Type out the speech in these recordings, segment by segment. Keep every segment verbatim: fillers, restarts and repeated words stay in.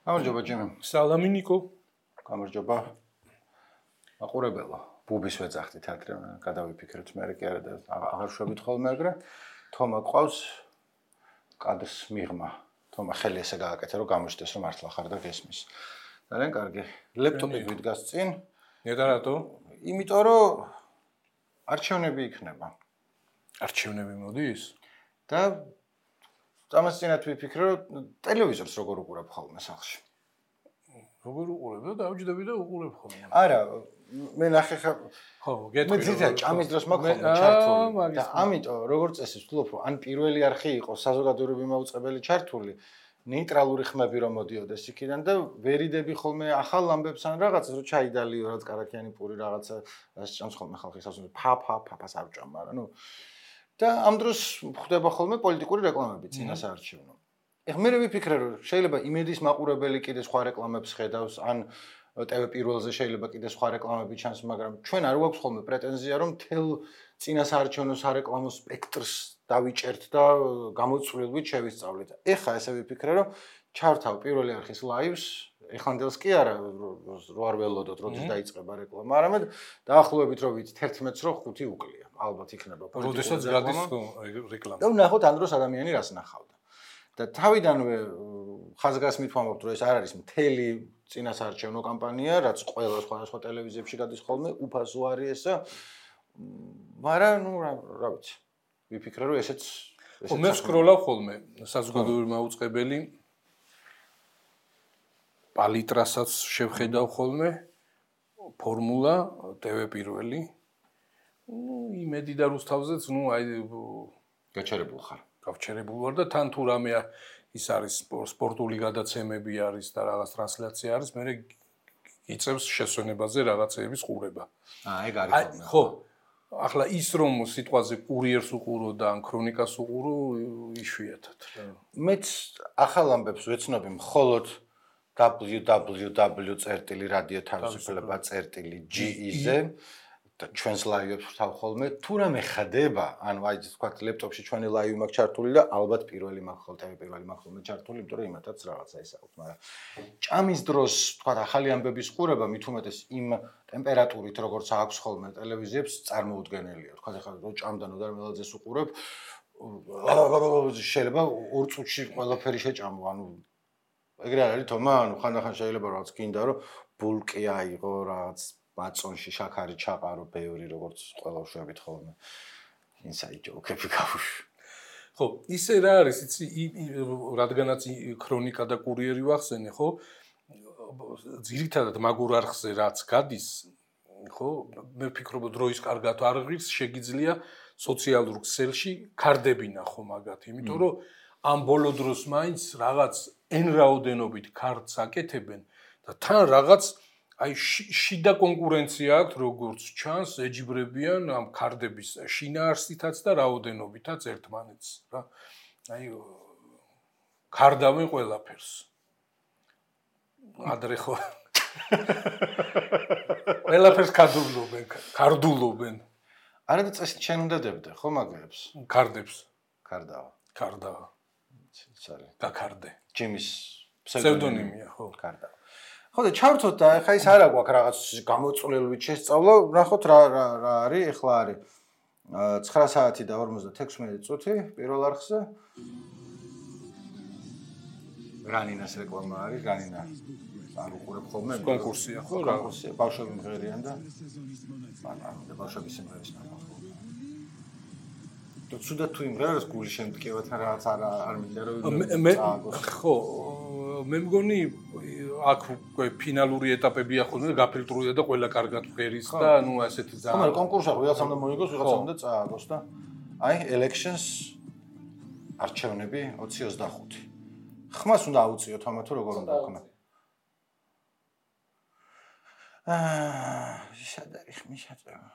გამარჯობა ჯიმი. სალამი ნიკო. გამარჯობა. აყურებელო, ბუბის ვეძახდი თეატრში, გადავიფიქრეთ მე კი არა და აღარ შვებით ხოლმე ეგრე. თომა ყავს კადრს მიღმა. თომა ხელი ესე გააკეთე რომ გამოჩნდეს რომ მართლა ხარ და გესმის. ძალიან კარგი. ლეპტოპი გვიდგას წინ. ნეტა რატო? იმიტომ რომ არჩევნები იქნება. არჩევნები მოდის? და ამას წინათ ვიფიქრე რომ ტელევიზორს როგორ უყურებ ხოლმე სახლში. როგორ უყურებ და დავჯდები და უყურებ ხოლმე. არა, მე ნახე ხა ხო, გეტყვი. მე ძიძა ჭამის დროს მაქვს ხოლმე ჩართული და ამიტომ როგორც წესი ვთვლობ რომ ან პირველი არხი იყო საზოგადოებრივი მაუწყებელი ჩართული, ნეიტრალური ხმები რომ მოდიოდეს იქიდან და ვერიდები ხოლმე ახალ ამბებს ან რაღაცას რომ ჩაიდალიო რაც კარაქიანი პური რაღაცა რაც ჭამს ხოლმე ხალხი სასწაულს ფა ფა ფაფას არ ჭამ, მაგრამ ნუ და ამ დროს ხდება ხოლმე პოლიტიკური რეკლამები წინასაარჩევნო. ეხლა მე ვიფიქრე რომ შეიძლება იმედის მაყურებელი კიდე სხვა რეკლამებს ხედავს ან ტევ პირველზე შეიძლება კიდე სხვა რეკლამები ჩანს, მაგრამ ჩვენ არ გვაქვს ხოლმე პრეტენზია რომ თელ წინასაარჩევნო სარეკლამო სპექტრს დავიჭერთ და გამოწვლილვით შევისწავლეთ. ეხლა ესე ვიფიქრე რომ ჩართავ პირველი არხის ლაივს, ეხანდელს კი არა რო არ ველოდოთ როდის დაიწყება რეკლამა, არამედ დაახლოებით რომ ვიცით ერთ მეტრს რო ხუთი უკლია. ალბათ იქნება პოლიტიკური როდესაც გადის რეკლამა. და ვნახოთ ამ დროს ადამიანი რას ნახავდა. და თავიდანვე ხაზგასმით ვამბობთ რომ ეს არ არის მთელი წინასაარჩევნო კამპანია, რაც ყველა სხვადასხვა ტელევიზიებში გადის ხოლმე, უფასო არის ესა. მაგრამ ნუ რა ვიცი. ვიფიქრე რომ ესეც ხო მე სკროლავ ხოლმე საზოგადოებრივი მაუწყებელი პალიტრასაც შევხედავ ხოლმე ფორმულა ტევ პირველი ნუ იმედი და რუსთავზეც ნუ აი გაჩერებულ ხარ გავჩერებულ ვარ და თან თუ რამე ის არის სპორტული გადაცემები არის და რაღაც ტრანსლაცია არის მე იწევს შესვენებაზე რაღაცეების ყურება აა ეგ არის ხოლმე ხო ახლა ის რომ სიტყვაზე კურიერს უყურო და ან ქრონიკას უყურო იშვიათად მეც ახალ ამბებს ვეცნობი მხოლოდ www წერტილი რადიო თავისუფლება წერტილი ge-ზე და ჩვენს ლაივებს ვთავ ხოლმე თუ რამე ხდება ანუ აი თქვათ ლეპტოპში ჩვენი ლაივი მაქვს ჩართული და ალბათ პირველი მაქვს ხოლმე ტევ პირველი მაქვს ხოლმე ჩართული იმიტომ რომ იმათაც რაღაცა ის აქვს მაგრამ ჭამის დროს თქვათ ახალი ამბების ყურება მით უმეტეს იმ ტემპერატურით როგორც აქვს ხოლმე ტელევიზიებს წარმოუდგენელია თქვათ ახლა რო ჭამდა ნოდარ მელაძეს უყურებ შეიძლება ორ წუთში ყველაფერი შეჭამო ანუ ეგრე არის თომა ანუ ხანდახან შეიძლება რაღაც გინდა რომ ბულკი აიღო რაღაც ბაწონში შაქარი ჩაყარო ბევრი როგორც ყველა შვებით ხოლმე inside joke-ები გავუშვი ხო ისე რა არის იცი რადგანაც ქრონიკა და კურიერი ვახსენე ხო ძირითადად მაგურ არხზე რაც გადის ხო მე ვფიქრობ დროის კარგად არ ღირს შეგიძლია სოციალურ ქსელში კარდები ნახო მაგათ იმიტომ რომ ამ ბოლო დროს მაინც რაღაც εν რაოდენობით ქარდს აკეთებენ და თან რაღაც აი შიდა კონკურენცია აქვს როგორც ჩანს ეჯიბრებიან ამ ქარდების შინაარსითაც და რაოდენობითაც ერთმანეთს რა აი ქარდავენ ყველაფერს ადრე ხო ყველაფერს ქარდულობენ ქარდულობენ არა და წესი ჩვენ უნდა დებდე ხო მაგებს ქარდებს ქარდავა ქარდავა სარი გაქარდე ჯიმის ფსევდონიმია ხო ქარდავა ხო და ჩავთოთ და ხა ის არა გვაქვს რაღაც გამოწვლილვით შესწავლა ნახოთ რა რა არის ეხლა არის ცხრა საათი და ორმოცდათექვსმეტი წუთი პირველ არხზე რანინას რეკლამა არის რანინა არ უყურებ ხოლმე კონკურსია ხო რა კონკურსია ბავშვები მღერიან და ანუ და ბავშვები სიმღერის ნახავ და ცუდა თუ იმღერას გული შემტკივათ რაღაც არ არ მინდა რომ ხო მე მგონი აქ ფინალური ეტაპებია ხოლმე გაფილტრულია და ყველა კარგად ვღერის და ნუ ასეთი ძალიან ხო მაგრამ კონკურსი ვიღაცამ და მოიგოს ვიღაცამ და წააგოს და აი elections არჩევნები ოცი ოცდახუთი ხმას უნდა აუწიოთ ამა თუ როგორ უნდა ხმა აა შედარი ხმი შეწევა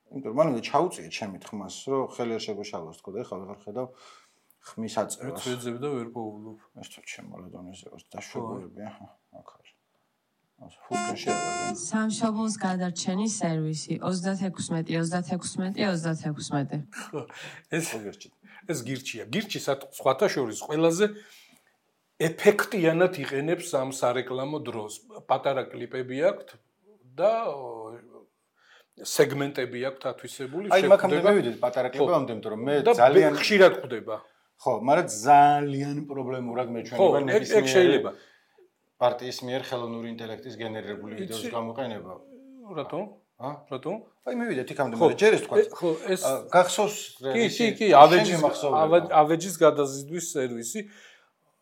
იმიტომ რომ მანამდე ჩაუწიე ჩემი ხმას რომ ხელი არ შეგოშალოს თქო და ეხლა ვეღარ ხედავ ხმის აწევას. ეცვეძებ და ვერ პოულობ. ეს თუ შემოლედონეზე დაშვებები აჰა, აქ არის. ასე ფუტკენ შეერა. სამშობლოს გადარჩენის სერვისი ოცდათექვსმეტი ოცდათექვსმეტი ოცდათექვსმეტი. ეს ეს გირჩია. გირჩი სხვათა შორის ყველაზე ეფექტიანად იყენებს ამ სარეკლამო დროს. პატარა კლიპები აქვს და სეგმენტები აქვს ათვისებული. აი მაგამდე მივიდეთ პატარა კლიპამდე, იმიტომ რომ მე ძალიან ხშირად ხვდება. ხო, მაგრამ ძალიან პრობლემურად მეჩვენება ნებისმიერი პარტიის მიერ ხელოვნური ინტელექტის გენერირებული ვიდეოს გამოყენება. რატო? ა? რატო? აი მივიდეთ იქამდე, მაგრამ ჯერ ეს თქვა. ხო, ეს გახსოვს კი, კი, კი, ავეჯის ავეჯის გადაზიდვის სერვისი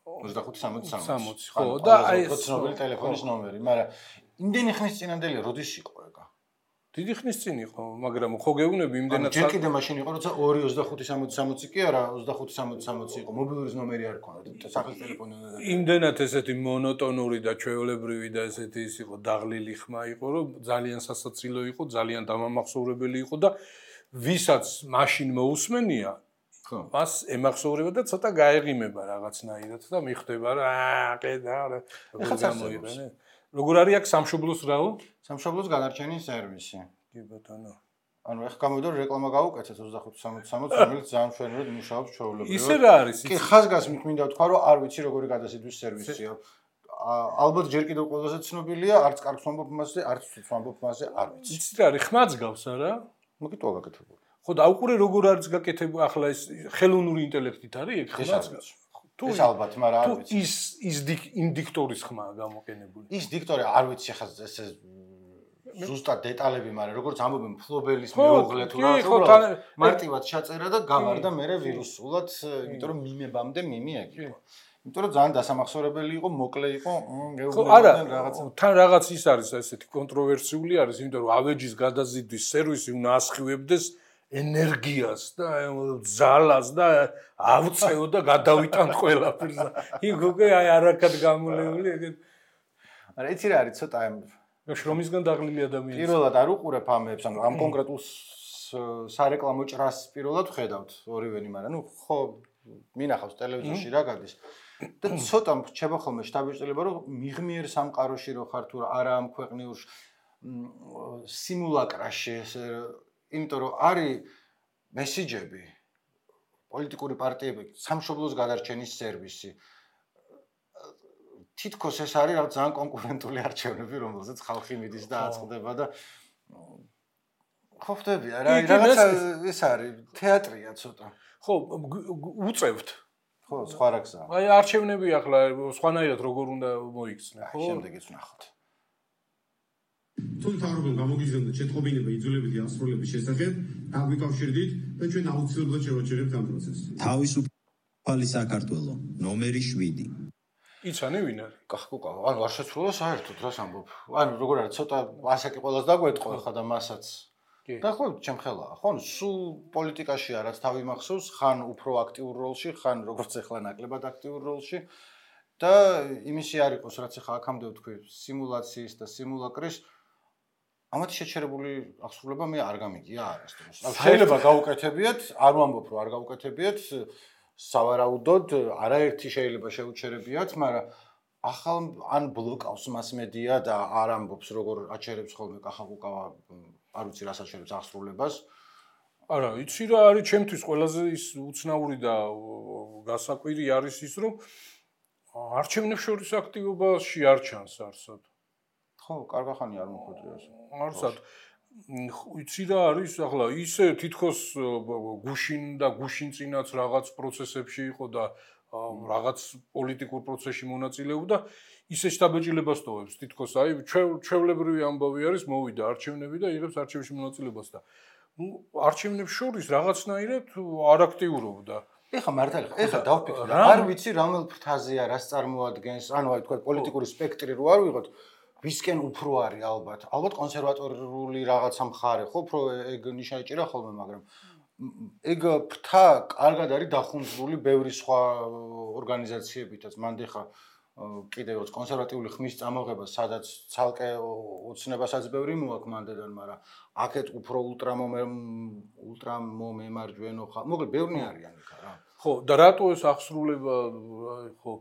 ოცდახუთი სამოცი სამოცი. ხო, და აი ეს ცნობილი ტელეფონის ნომერი, მაგრამ იმდენი ხნის წინანდელი როდის იყო ეგა? დიდი ხნის წინ იყო, მაგრამ ხო გეუბნები იმდენად ჯერ კიდე მაშინ იყო, როცა ორი ოცდახუთი სამოცი სამოცი კი არა, ოცდახუთი სამოცი სამოცი იყო, მობილურის ნომერი არ ქონდა, სახლის ტელეფონი უნდა. იმდენად ესეთი მონოტონური და ჩვეულებრივი და ესეთი ის იყო, დაღლილი ხმა იყო, რომ ძალიან სასაცილო იყო, ძალიან დამამახსოვრებელი იყო და ვისაც მაშინ მოусმენია, ხო, მას ემახსოვრება და ცოტა გაეღიმება რაღაცნაირად და მიხვდება რა, ყედა რა, როგორ გამოიყენე. როგორ არის აქ სამშობლოს რაო? სამშობლოს განარჩენის სერვისი. კი ბატონო. ანუ ეხლა გამოვიდა რომ რეკლამა გავუკეთეთ ოცდახუთი სამოცი სამოცი, რომელიც ძალიან მშვენივრად მუშაობს ჩვეულებრივად. ისე რა არის? კი, ხაზგასმით მინდა ვთქვა რომ არ ვიცი როგორი გადასიდვის სერვისია. ალბათ ჯერ კიდევ ყველაზე ცნობილია, არც კარგს ვამბობ მასზე, არც ცუდს ვამბობ მასზე, არ ვიცი. იცი რა არის? ხმაც გავს არა? მოკითხვა გაკეთებული. ხო, დაუყურე როგორ არის გაკეთებული ახლა ეს ხელოვნური ინტელექტით არის ეგ ხმაც გავს. თუ ეს ალბათ, მაგრამ არ ვიცი. ის ის იმ დიქტორის ხმაა გამოყენებული. ის დიქტორი არ ვიცი ხა ეს ზუსტად დეტალები, მაგრამ როგორც ამბობენ ფლობელის მეუღლე თუ რა უბრალოდ მარტივად ჩაწერა და გავარდა მერე ვირუსულად, იმიტომ რომ მიმებამდე მიმი ეგ იყო. იმიტომ რომ ძალიან დასამახსოვრებელი იყო, მოკლე იყო, გეუბნებოდნენ რაღაცა. თან რაღაც ის არის ესეთი კონტროვერსიული არის, იმიტომ რომ ავეჯის გადაზიდვის სერვისი უნდა ასხივებდეს ენერგიას და ძალას და ავწეო და გადავიტანთ ყველაფერს. იქ უკვე აი არაკად გამოლეული ეგეთ. არა იცი რა არის ცოტა ამ შრომისგან დაღლილი ადამიანი. პირველად არ უყურებ ამებს, ანუ ამ კონკრეტულ სარეკლამო ჭრას პირველად ვხედავთ ორივენი, მაგრამ ნუ ხო მინახავს ტელევიზორში რა გადის. და ცოტა რჩება ხოლმე შთაბეჭდილება, რომ მიღმიერ სამყაროში რო ხარ თუ არა ამ ქვეყნიურ სიმულაკრაში, იმიტომ რომ არის მესიჯები, პოლიტიკური პარტიები, სამშობლოს გადარჩენის სერვისი. თითქოს ეს არის რაღაც ძალიან კონკურენტული არჩევნები, რომელზეც ხალხი მიდის და აწყდება და ხო ხდები, რა რაღაცა ეს არის, თეატრია ცოტა. ხო, უწევთ. ხო, სხვა რა გზაა. აი არჩევნები ახლა სხვანაირად როგორ უნდა მოიქცნენ, ხო? შემდეგიც ვნახოთ. თუ თავრობამ გამოგიზარდა შეტყობინება იძულებითი ასრულების შესახებ, აგვიკავშირდით და ჩვენ აუცილებლად შევაჩერებთ ამ პროცესს. თავისუფალი საქართველო, ნომერი შვიდი. იცანი ვინ არის? კახკუკა, ანუ არ შეცვლა საერთოდ რას ამბობ. ანუ როგორ არის, ცოტა ასაკი ყველას დაგვეტყო ხა და მასაც. და ხო, ჩემ ხელაა, ხო, სულ პოლიტიკაშია რაც თავი მახსოვს, ხან უფრო აქტიურ როლში, ხან როგორც ახლა ნაკლებად აქტიურ როლში და იმისი არ იყოს, რაც ახლა აქამდე ვთქვი, სიმულაციის და სიმულაკრის ამათ შეჩერებული აღსრულება მე არ გამიგია არასდროს. შეიძლება გაუკეთებიათ, არ ვამბობ რომ არ გაუკეთებიათ, სავარაუდოდ არაერთი შეიძლება შეუჩერებიათ, მაგრამ ახალ ან ბლოკავს მასმედია და არ ამბობს როგორ აჩერებს ხოლმე კახაკუკავა, არ ვიცი რას აჩერებს აღსრულებას. არა, იცი რა არის ჩემთვის ყველაზე ის უცნაური და გასაკვირი არის ის, რომ არჩევნებს შორის აქტივობაში არ ჩანს არსად. ხო, კარგახანი არ მოხვედრია ეს. არსად. იცი რა არის ახლა ისე თითქოს გუშინ და გუშინ წინაც რაღაც პროცესებში იყო და რაღაც პოლიტიკურ პროცესში მონაწილეობდა, ისე შთაბეჭდილებას ტოვებს თითქოს აი ჩვეულებრივი ამბავი არის, მოვიდა არჩევნები და იღებს არჩევნებში მონაწილეობას და ნუ არჩევნებს შორის რაღაცნაირად არ აქტიურობდა. ეხა მართალი ხა, ეხა დავფიქრე, არ ვიცი რომელ ფრთაზეა, რას წარმოადგენს, ანუ აი თქვა პოლიტიკური სპექტრი რო არ ვიღოთ, ვისკენ უფრო არის ალბათ. ალბათ კონსერვატორული რაღაცა მხარე, ხო, უფრო ეგ ნიშნა ეჭირა ხოლმე, მაგრამ ეგ ფრთა კარგად არის დახუნძვრული ბევრი სხვა ორგანიზაციებითაც. მანდ ეხა კიდევ რაც კონსერვატიული ხმის წამოღება, სადაც ცალკე ოცნებასაც ბევრი მოაქვს მანდედან, მაგრამ აქეთ უფრო ულტრამომე ულტრამომემარჯვენო ხა, მოკლედ ბევრი არიან იქა რა. ხო, და რატო ეს აღსრულება, ხო,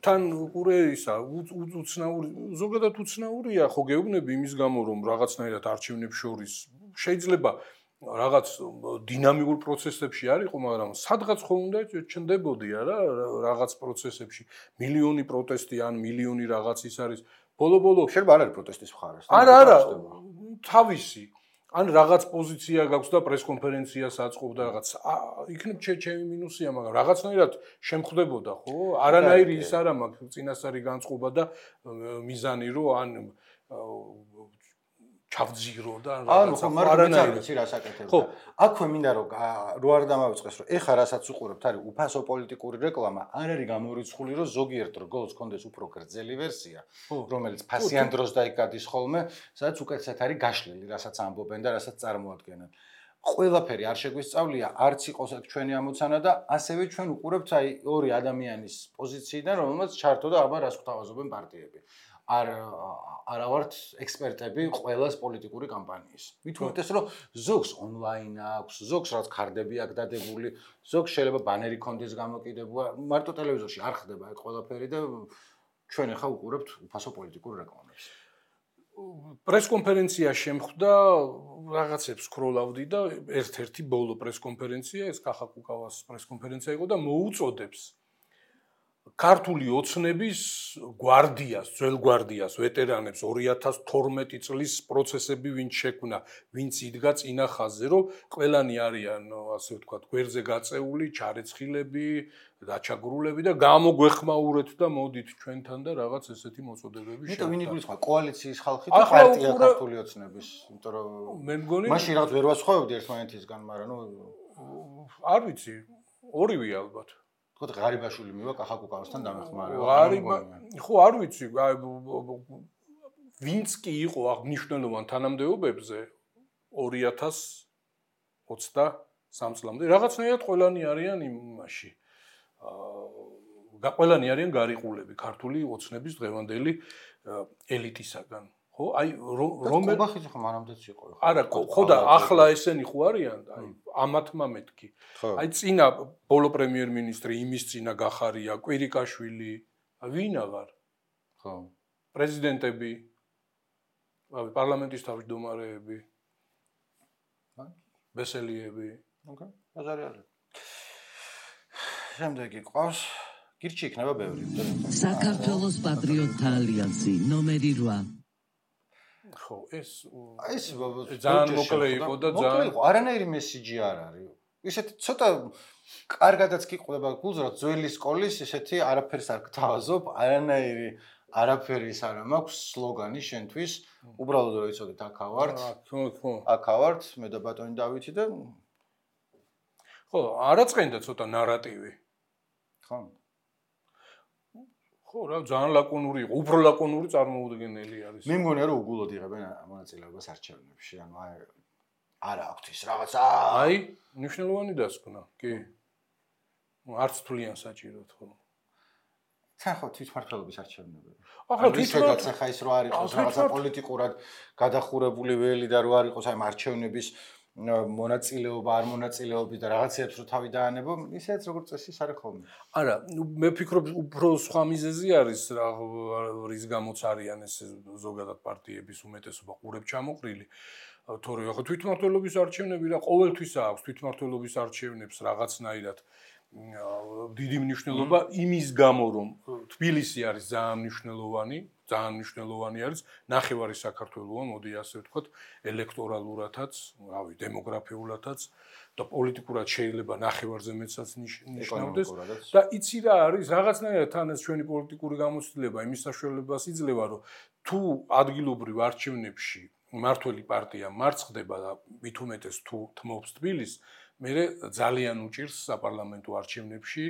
თან უყურე ისა, უცნაური, ზოგადად უცნაურია, ხო, გეუბნები იმის გამო, რომ რაღაცნაირად არჩევნებს შორის შეიძლება რაღაც დინამიკურ პროცესებში არ იყო, მაგრამ სადღაც ხო უნდა ჩნდებოდი არა რაღაც პროცესებში. მილიონი პროტესტი ან მილიონი რაღაც ის არის. ბოლო-ბოლო შეიძლება არ არის პროტესტის მხარეს. არა, არა, თავისი. ან რაღაც პოზიცია გაქვს და პრესკონფერენციას აწყობდა რაღაც. იქნებ ჩემი მინუსია, მაგრამ რაღაცნაირად შემხდებოდა, ხო? არანაირი ის არა მაქვს წინასწარი განწყობა და მიზანი რომ ან ჩავძირო და ანუ ხო მაგრამ ვიცი რა საკეთებდა. აქვე მინდა რომ რო არ დამავიწყეს რომ ეხა რასაც უყურებთ არის უფასო პოლიტიკური რეკლამა, არ არის გამორიცხული რომ ზოგიერთ რგოლს კონდეს უფრო გრძელი ვერსია, რომელიც ფასიან დროს და იქ გადის ხოლმე, სადაც უკეთესად არის გაშლილი, რასაც ამბობენ და რასაც წარმოადგენენ. ყველაფერი არ შეგვისწავლია, არც იყოს აქ ჩვენი ამოცანა და ასევე ჩვენ უყურებთ აი ორი ადამიანის პოზიციიდან, რომელმაც ჩართო და აბა რას გვთავაზობენ პარტიები. არ არა ვართ ექსპერტები ყველას პოლიტიკური კამპანიის. მით უმეტეს რომ ზოგს ონლაინ აქვს, ზოგს რაც ქარდები აქვს დადებული, ზოგს შეიძლება ბანერი კონდეს გამოკიდება, მარტო ტელევიზორში არ ხდება ეგ ყველაფერი და ჩვენ ახლა უყურებთ უფასო პოლიტიკურ რეკლამებს. პრესკონფერენცია შემხვდა, რაღაცებს სკროლავდი და ერთ-ერთი ბოლო პრესკონფერენცია ეს კახაკუკავას პრესკონფერენცია იყო და მოუწოდებს ქართული ოცნების გვარდიას, ძველ გვარდიას, ვეტერანებს ორი ათას თორმეტი წლის პროცესები ვინც შექმნა, ვინც იდგა წინა ხაზზე, რომ ყველანი არიან, ასე ვთქვათ, გვერდზე გაწეული, ჩარეცხილები, დაჩაგრულები და გამოგვეხმაურეთ და მოდით ჩვენთან და რაღაც ესეთი მოწოდებები შექმნა. იმიტომ ვინ იგულისხმება კოალიციის ხალხი და პარტია ქართული ოცნების, იმიტომ რომ მე მგონი მაშინ რაღაც ვერ ვასხოვებდი ერთმანეთისგან, მაგრამ ნუ არ ვიცი, ორივე ალბათ. ხო ღარიბაშვილი მივა კახაკუკავასთან დამეხმარევა. ღარიბა ხო არ ვიცი ვინც კი იყო აღნიშნულოვან თანამდებობებზე ორი ათას ოცდასამ წლამდე რაღაცნაირად ყველანი არიან იმაში აა ყველანი არიან გარიყულები ქართული ოცნების დღევანდელი ელიტისაგან. ხო, აი რომელ ყობახიძე ხო მანამდეც იყო. არა, ხო და ახლა ესენი ხო არიან, აი ამათმა მეთქი. აი წინა ბოლო პრემიერ-მინისტრი იმის წინა გახარია, კვირიკაშვილი, ვინ აღარ? ხო. პრეზიდენტები, აი პარლამენტის თავმჯდომარეები. ბესელიები. ოკეი, ბაზარი არის. შემდეგი ყავს გირჩი იქნება ბევრი. საქართველოს პატრიოტთა ალიანსი ნომერი რვა. ხო, ეს ეს ძალიან მოკლე იყო და ძალიან იყო, არანაირი მესიჯი არ არის. ისეთი ცოტა კარგადაც კი ყובה გულს, რომ ძველი სკოლის ისეთი არაფერს არ გთავაზობ, არანაირი არაფერის არა მაქვს სლოგანი შენთვის, უბრალოდ რომ იცოდეთ აქა ვართ. ხო, ხო. აქა ვართ, მე და ბატონი დავითი და ხო, არაწყენდა ცოტა ნარატივი. ხო. ხო, რა ძალიან ლაკონური იყო, უფრო ლაკონური წარმოუდგენელი არის. მე მგონია რომ უგულოდ იღებენ მონაწილეობას არჩევნებში, ანუ აი არა აქვთ ის რაღაცა. აი, მნიშვნელოვანი დასკვნა, კი. არც თვლიან საჭიროდ, ხო. თან ხო თვითმმართველობის არჩევნები. ახლა თვითმმართველობა ახლა ის რო არ იყოს რაღაცა პოლიტიკურად გადახურებული ველი და რო არ იყოს აი არჩევნების მონაწილეობა არ მონაწილეობის და რაღაცებს რო თავი დაანებო, ისეც როგორც წესი არის ხოლმე. არა, მე ვფიქრობ უფრო სხვა მიზეზი არის რა რის გამოც არიან ეს ზოგადად პარტიების უმეტესობა ყურებ ჩამოყრილი. თორე ახლა თვითმმართველობის არჩევნები რა ყოველთვის აქვს თვითმმართველობის არჩევნებს რაღაცნაირად დიდი მნიშვნელობა იმის გამო რომ თბილისი არის ძალიან მნიშვნელოვანი, ძალიან მნიშვნელოვანი არის ნახევარი საქართველოა, მოდი ასე ვთქვათ, ელექტორალურათაც, რავი, დემოგრაფიულათაც და პოლიტიკურად შეიძლება ნახევარზე მეტსაც ნიშნავდეს და იცი რა არის, რაღაცნაირად თან ეს ჩვენი პოლიტიკური გამოცდილება იმის საშუალებას იძლევა, რომ თუ ადგილობრივ არჩევნებში მართველი პარტია მარცხდება და მით უმეტეს თუ თმობს თბილისს მე ძალიან უჭირს საპარლამენტო არჩევნებში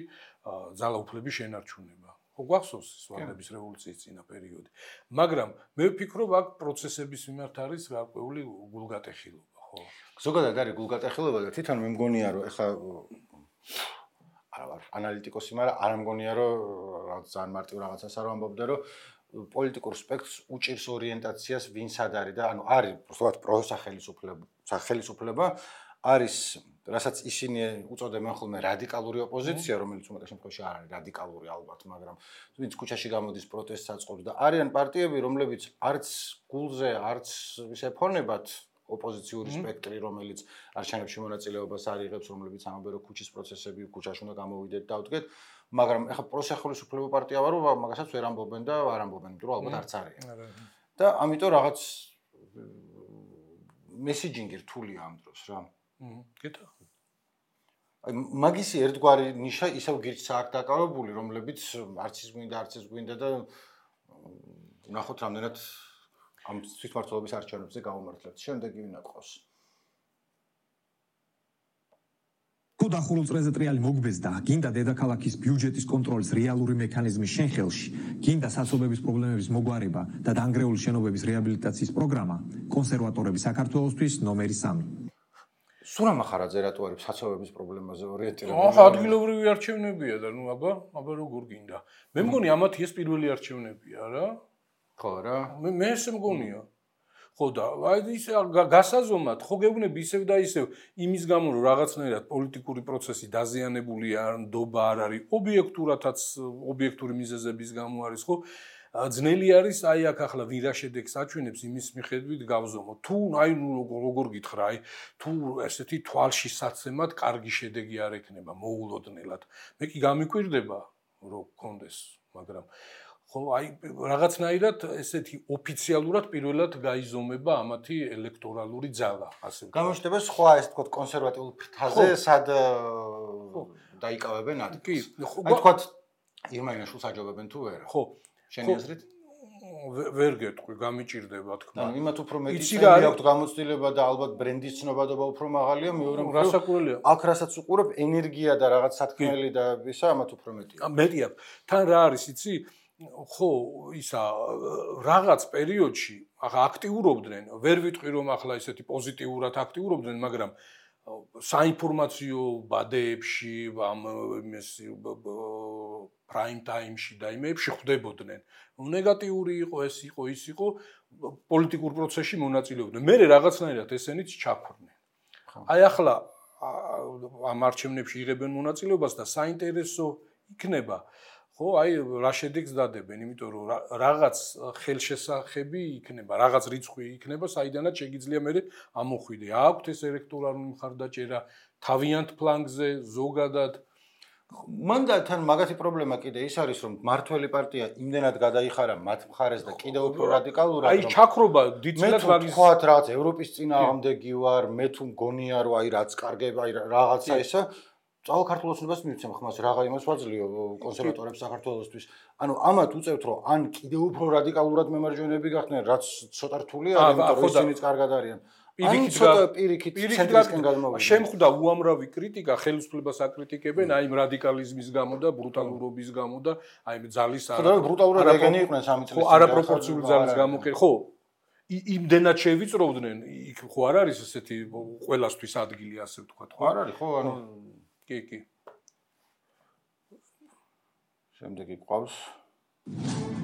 ძალაუფლების შენარჩუნება. ხო გვახსოვს სვანების რევოლუციის წინა პერიოდი. მაგრამ მე ვფიქრობ აქ პროცესების მიმართ არის გარკვეული გულგატეხილობა, ხო? ზოგადად არის გულგატეხილობა და თვითონ მე მგონია რომ ეხა არა ვარ ანალიტიკოსი, მაგრამ არ მგონია რომ რაღაც ძალიან მარტივ რაღაცას არ ვამბობდე რომ პოლიტიკურ სპექტრს უჭირს ორიენტაციას ვინ სად არის და ანუ არის უბრალოდ პროსახელისუფლება, სახელისუფლება არის რასაც ისინი უწოდებენ ხოლმე რადიკალური ოპოზიცია, რომელიც უმეტეს შემთხვევაში არ არის რადიკალური ალბათ, მაგრამ ვინც ქუჩაში გამოდის პროტესტს აწყობს და არიან პარტიები, რომლებიც არც გულზე, არც ისე ფონებად ოპოზიციური სპექტრი, რომელიც არჩევნებში მონაწილეობას არ იღებს, რომლებიც ამბობენ, რომ ქუჩის პროცესები, ქუჩაში უნდა გამოვიდეთ და დავდგეთ, მაგრამ ეხლა პროსახელისუფლებო პარტია ვარო, მაგასაც ვერ ამბობენ და არ ამბობენ, იმიტომ რომ ალბათ არც არიან. და ამიტომ რაღაც მესიჯინგი რთულია ამ დროს რა. კეთო. აი მაგისი ერთგვარი ნიშა ისევ გირჩა აქ დაკავებული, რომლებიც არც ის გვინდა, არც ის გვინდა და ნახოთ რამდენად ამ თვითმმართველობის არჩევნებზე გამომართლეთ. შემდეგი ვინ ატყავს? თუ დახურულ წრეზე ტრიალი მოგბეზდა, გინდა დედაქალაქის ბიუჯეტის კონტროლის რეალური მექანიზმის შენხელში, გინდა სასობების პრობლემების მოგვარება და დანგრეული შენობების რეაბილიტაციის პროგრამა, კონსერვატორები საქართველოსთვის ნომერი სამი. სურამ ახარაძე რატო არის საცობების პრობლემაზე ორიენტირებული? ახლა ადგილობრივი არჩევნებია და ნუ აბა, აბა როგორ გინდა. მე მგონი ამათი ეს პირველი არჩევნებია რა. ხო რა. მე მე ესე მგონია. ხო და აი ის გასაზომად ხო გეუბნები ისევ და ისევ იმის გამო რომ რაღაცნაირად პოლიტიკური პროცესი დაზიანებულია არ ნდობა არ არის ობიექტურადაც ობიექტური მიზეზების გამო არის ხო ძნელი არის აი აქ ახლა ვირა შედეგს აჩვენებს იმის მიხედვით გავზომო თუ აი ნუ როგორ გითხრა აი თუ ესეთი თვალში საცემად კარგი შედეგი არ ექნება მოულოდნელად მე კი გამიკვირდება რომ გქონდეს მაგრამ ხო აი რაღაცნაირად ესეთი ოფიციალურად პირველად გაიზომება ამათი ელექტორალური ძალა ასე ვთქვათ. გამოჩნდება სხვა ეს თქო კონსერვატიულ ფრთაზე სად დაიკავებენ ადგილს. აი თქო ირმაინაშვილს აჯობებენ თუ ვერ? ხო. შენი აზრით? ვერ გეტყვი, გამიჭირდება თქმა. ანუ იმათ უფრო მეტი წელი აქვს გამოცდილება და ალბათ ბრენდის ცნობადობა უფრო მაღალია, მეორე რასაკურელია. აქ რასაც უყურებ ენერგია და რაღაც სათქმელი და ისა ამათ უფრო მეტია. მეტი აქვს. თან რა არის იცი? ხო, ისა რაღაც პერიოდში ახლა აქტიურობდნენ, ვერ ვიტყვი რომ ახლა ესეთი პოზიტიურად აქტიურობდნენ, მაგრამ საინფორმაციო ბადეებში, ამ ეს prime time-ში და იმებში ხვდებოდნენ. ნეგატიური იყო, ეს იყო, ის იყო, პოლიტიკურ პროცესში მონაწილეობდნენ. მე რაღაცნაირად ესენიც ჩაქრნენ. აი ახლა ამ არჩევნებში იღებენ მონაწილეობას და საინტერესო იქნება ხო, აი რა შედეგს დადებენ, იმიტომ რომ რაღაც ხელშესახები იქნება, რაღაც რიცხვი იქნება, საიდანაც შეიძლება მე ამოხვიდე. აქვთ ეს ელექტორალური მხარდაჭერა თავიანთ ფლანგზე, ზოგადად. მან და თან მაგათი პრობლემა კიდე ის არის, რომ მართველი პარტია იმდენად გადაიხარა მათ მხარეს და კიდევ უფრო რადიკალურად, რომ აი ჩაქრობა დიდწილად მაგის მე თქვათ რაღაც ევროპის წინააღმდეგი ვარ, მე თუ მგონია რომ აი რაც კარგება, აი რაღაცა ისა წავალ ქართულოსნებას მივცემ ხმას რაღა იმას ვაძლიო კონსერვატორებს საქართველოსთვის. ანუ ამათ უწევთ რომ ან კიდევ უფრო რადიკალურად მემარჯვენეები გახდნენ, რაც ცოტა რთულია, იმიტომ რომ ისინიც კარგად არიან. ან ცოტა პირიქით ცენტრისკენ გადმოვიდნენ. შემხვდა უამრავი კრიტიკა, ხელისუფლებას აკრიტიკებენ აი იმ რადიკალიზმის გამო და ბრუტალურობის გამო და აი იმ ძალის არა. ხო, brutალურად ეგენი იყვნენ სამი წლის. ხო, არაპროპორციული ძალის გამო კი ხო. იმდენად შევიწროვდნენ, იქ ხო არ არის ესეთი ყველასთვის ადგილი ასე ვთქვათ, ხო? არ არის, ხო, ანუ კი, კი. შემდეგი ყავს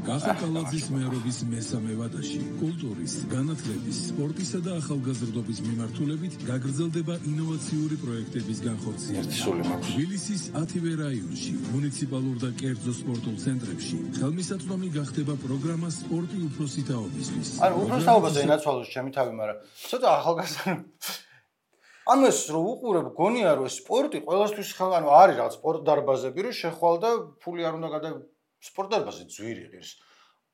გახაკალაძის მეურობის მესამე ვადაში კულტურის, განათლების, სპორტისა და ახალგაზრდობის მიმართულებით გაგრძელდება ინოვაციური პროექტების განხორციელება. თბილისის ათივე რაიონში, მუნიციპალურ და კერძო სპორტულ ცენტრებში ხელმისაწვდომი გახდება პროგრამა სპორტი უფროსი თაობისთვის. ანუ უფროს თაობაზე ენაცვალოს ჩემი თავი, მაგრამ ცოტა ახალგაზრდა ამას რო უყურებ, გონია რომ სპორტი ყველასთვის ხელ ანუ არის რაღაც სპორტ დარბაზები, რომ შეხვალ და ფული არ უნდა გადა სპორტ დარბაზი ძვირი ღირს.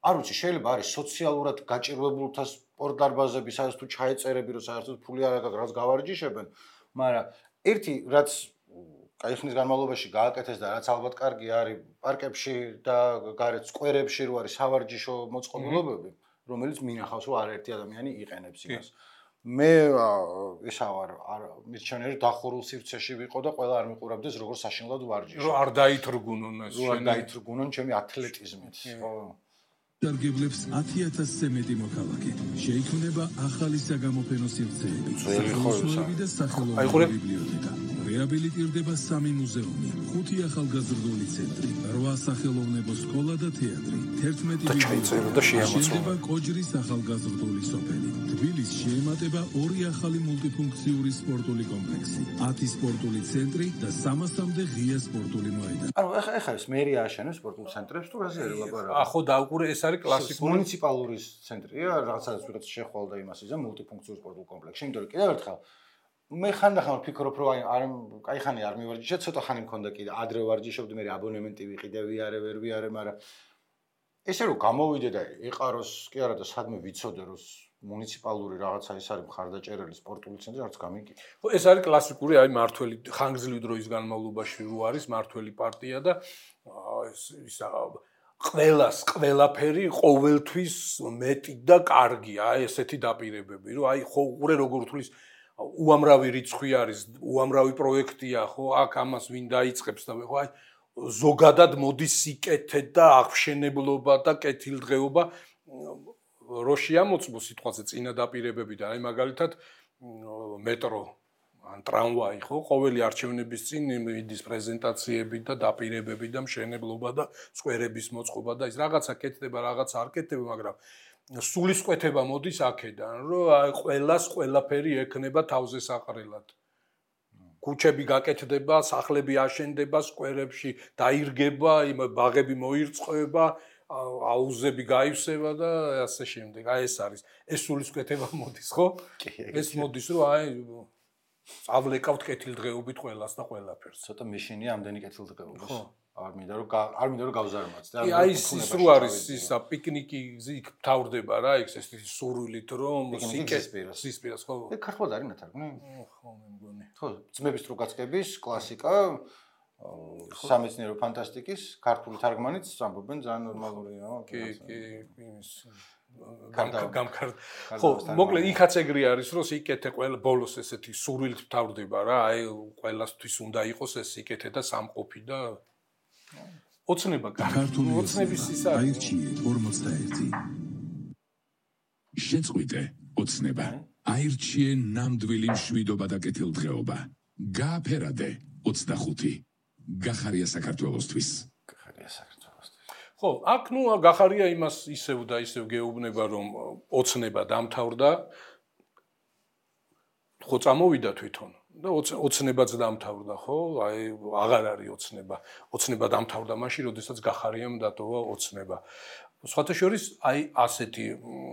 არ ვიცი, შეიძლება არის სოციალურად გაჭირვებულთა სპორტ დარბაზები, სადაც თუ ჩაეწერები, რომ საერთოდ ფული არ აქვს, რაც გავარჯიშებენ, მაგრამ ერთი რაც კაი ხნის განმავლობაში გააკეთეს და რაც ალბათ კარგი არის პარკებში და გარეთ სკვერებში რო არის სავარჯიშო მოწყობილობები, რომელიც მინახავს რომ არაერთი ადამიანი იყენებს იმას. მე ისა ვარ მირჩენერი დახურულ სივრცეში ვიყო და ყველა არ მიყურებდეს როგორ საშინლად ვარჯიშობ. რომ არ დაითრგუნონ ეს შენ. რომ არ დაითრგუნონ ჩემი ათლეტიზმით. ხო. დარგებლებს ათი ათასზე მეტი მოქალაქე. შეიქმნება ახალი საგამოფენო სივრცეები. სახელმწიფოები და სახელმწიფო ბიბლიოთეკა. რეაბილიტირდება სამი მუზეუმი, ხუთი ახალგაზრდული ცენტრი, რვა სახელოვნებო სკოლა და თეატრი, თერთმეტი შეიწყება კოჯრის ახალგაზრდული სოფელი. თბილისში შეემატება ორი ახალი მულტიფუნქციური სპორტული კომპლექსი, ათი სპორტული ცენტრი და სამასამდე ღია სპორტული მოედანი. ანუ ეხა ეხა ეს მერია აშენებს სპორტულ ცენტრებს თუ რაზე არის ლაპარაკი? ახო დაუყურე ეს არის კლასიკური მუნიციპალური ცენტრია, რაღაცა ვიღაც შეხვალდა იმას იზა მულტიფუნქციურ სპორტულ კომპლექსში, იმიტომ რომ კიდევ ერთხელ მე ხანდახან ვფიქრობ რომ აი არ кайხანი არ მივარჯიშე, ცოტა ხანი მქონდა კიდე, ადრე ვარჯიშობდი, მე აბონემენტი ვიყიდე, ვიარე, ვერ ვიარე, მაგრამ ესე რომ გამოვიდე და ეყაროს, კი არა და სადმე ვიცოდე რომ მუნიციპალური რაღაცა ის არის მხარდაჭერილი სპორტული ცენტრი, არც გამიგია. ხო, ეს არის კლასიკური, აი მართველი ხანგრძლივი დროის განმავლობაში რო არის მართველი პარტია და ეს ისა ყველას, ყველაფერი ყოველთვის მეტი და კარგია, აი ესეთი დაპირებები, რომ აი ხო უყურე როგორ თulis უამრავი რიცხვი არის, უამრავი პროექტია, ხო, აქ ამას ვინ დაიწყებს და ხო აი ზოგადად მოდის სიკეთე და აღშენებლობა და კეთილდღეობა რო შეამოწმო სიტყვაზე წინა დაპირებებიდან, აი მაგალითად მეტრო ან ტრამვაი, ხო, ყოველი არჩევნების წინ მიდის პრეზენტაციები და დაპირებები და მშენებლობა და სკვერების მოწყობა და ის რაღაცა კეთდება, რაღაცა არ კეთდება, მაგრამ სულისკვეთება მოდის აქედან, რომ აი ყველას ყველაფერი ექნება თავზე საყრელად. ქუჩები გაკეთდება, სახლები აშენდება, სკვერებში დაირგება, იმ ბაღები მოირწყვება, აუზები გაივსება და ასე შემდეგ. აი ეს არის. ეს სულისკვეთება მოდის, ხო? ეს მოდის, რომ აი წავლეკავთ კეთილდღეობით ყველას და ყველაფერს. ცოტა მეშინია ამდენი კეთილდღეობას. ხო. არ მინდა რომ არ მინდა რომ გავზარმაც და აი ის ის რო არის ისა პიკნიკი იქ თავდება რა იქ ეს სურვილით რომ სისპირას ხო ეგ ქართულად არის ნათარგმნი ხო მე მგონი ხო ძმების დროგაცკების კლასიკა სამეცნიერო ფანტასტიკის ქართული თარგმანიც ამბობენ ძალიან ნორმალურია კი კი იმის გამკარდ ხო მოკლედ იქაც ეგრე არის რომ სიკეთე ყველა ბოლოს ესეთი სურვილით თავდება რა აი ყველასთვის უნდა იყოს ეს სიკეთე და სამყოფი და ოცნება ქართული ოცნების ის არის აირჩიე ორმოცდაერთი შეწყვიტე ოცნება აირჩიე ნამდვილი მშვიდობა და კეთილდღეობა გააფერადე ოცდახუთი გახარია საქართველოსთვის გახარია საქართველოსთვის ხო აქ ნუ გახარია იმას ისევ და ისევ გეუბნება რომ ოცნება დამთავრდა ხო წამოვიდა თვითონ და ოცნებაც დამთავრდა ხო აი აღარ არის ოცნება ოცნება დამთავრდა მაშინ როდესაც გახარიამ დატოვა ოცნება სხვათა შორის აი ასეთი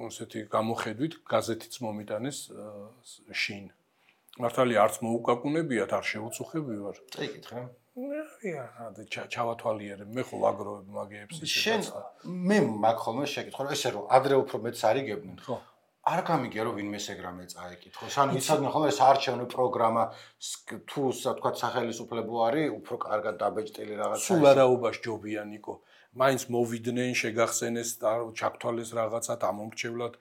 ასეთი გამოხედვით გაზეთიც მომიტანეს შინ მართალი არც მოუკაკუნებიათ არ შეუწუხები ვარ წაიკითხე ია და ჩავათვალიერებ მე ხო ვაგროვებ მაგეებს ისე შენ მე მაგ ხოლმე შეკითხო რომ ესე რომ ადრე უფრო მეც არიგებდნენ ხო არ გამიგია რომ ვინმე ეგრამე წაიკითხოს ანუ იცოდნენ ხოლმე ეს არჩევნო პროგრამა თუ თქვა სახელისუფლებო არის უფრო კარგად დაბეჭდილი რაღაცა სულ არაობას ჯობია ნიკო მაინც მოვიდნენ შეგახსენეს და ჩაქთვალეს რაღაცა დამომრჩევლად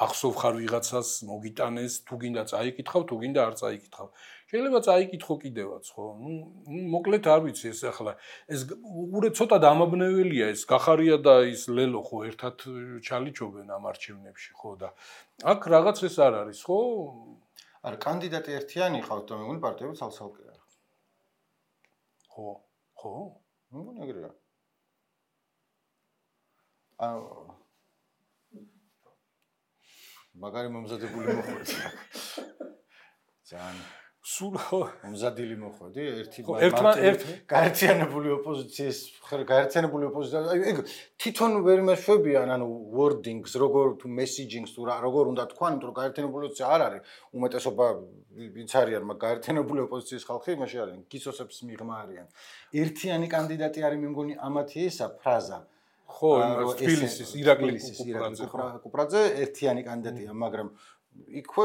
ახსოვ ხარ ვიღაცას მოგიტანეს თუ გინდა წაიკითხავ თუ გინდა არ წაიკითხავ შეიძლება წაიკითხო კიდევაც ხო ნუ მოკლედ არ ვიცი ეს ახლა ეს უყურე ცოტა დამაბნეველია ეს გახარია და ის ლელო ხო ერთად ჩალიჩობენ ამ არჩევნებში ხო და აქ რაღაც ეს არ არის ხო არა კანდიდატი ერთიანი ყავთ და მე მგონი პარტიები ცალ-ცალკე არა ხო ხო მე მგონი ეგრეა აა მაგარი მომზადებული მოხვედი ძალიან სულ მომზადილი მოხვედი ერთი ერთ გაერთიანებული ოპოზიციის გაერთიანებული ოპოზიცია ეგ თვითონ ვერ მეშვებიან ანუ wordings როგორ თუ messagings თუ როგორ უნდა თქვან იმიტომ რომ გაერთიანებული ოპოზიცია არ არის უმეტესობა ვინც არიან მაგ გაერთიანებული ოპოზიციის ხალხი იმაში არიან გისოსებს მიღმა არიან ერთიანი კანდიდატი არის მე მგონი ამათი ისა ფრაზა ხო თბილისის ირაკლი კუპრაძე ერთიანი კანდიდატია მაგრამ იქვე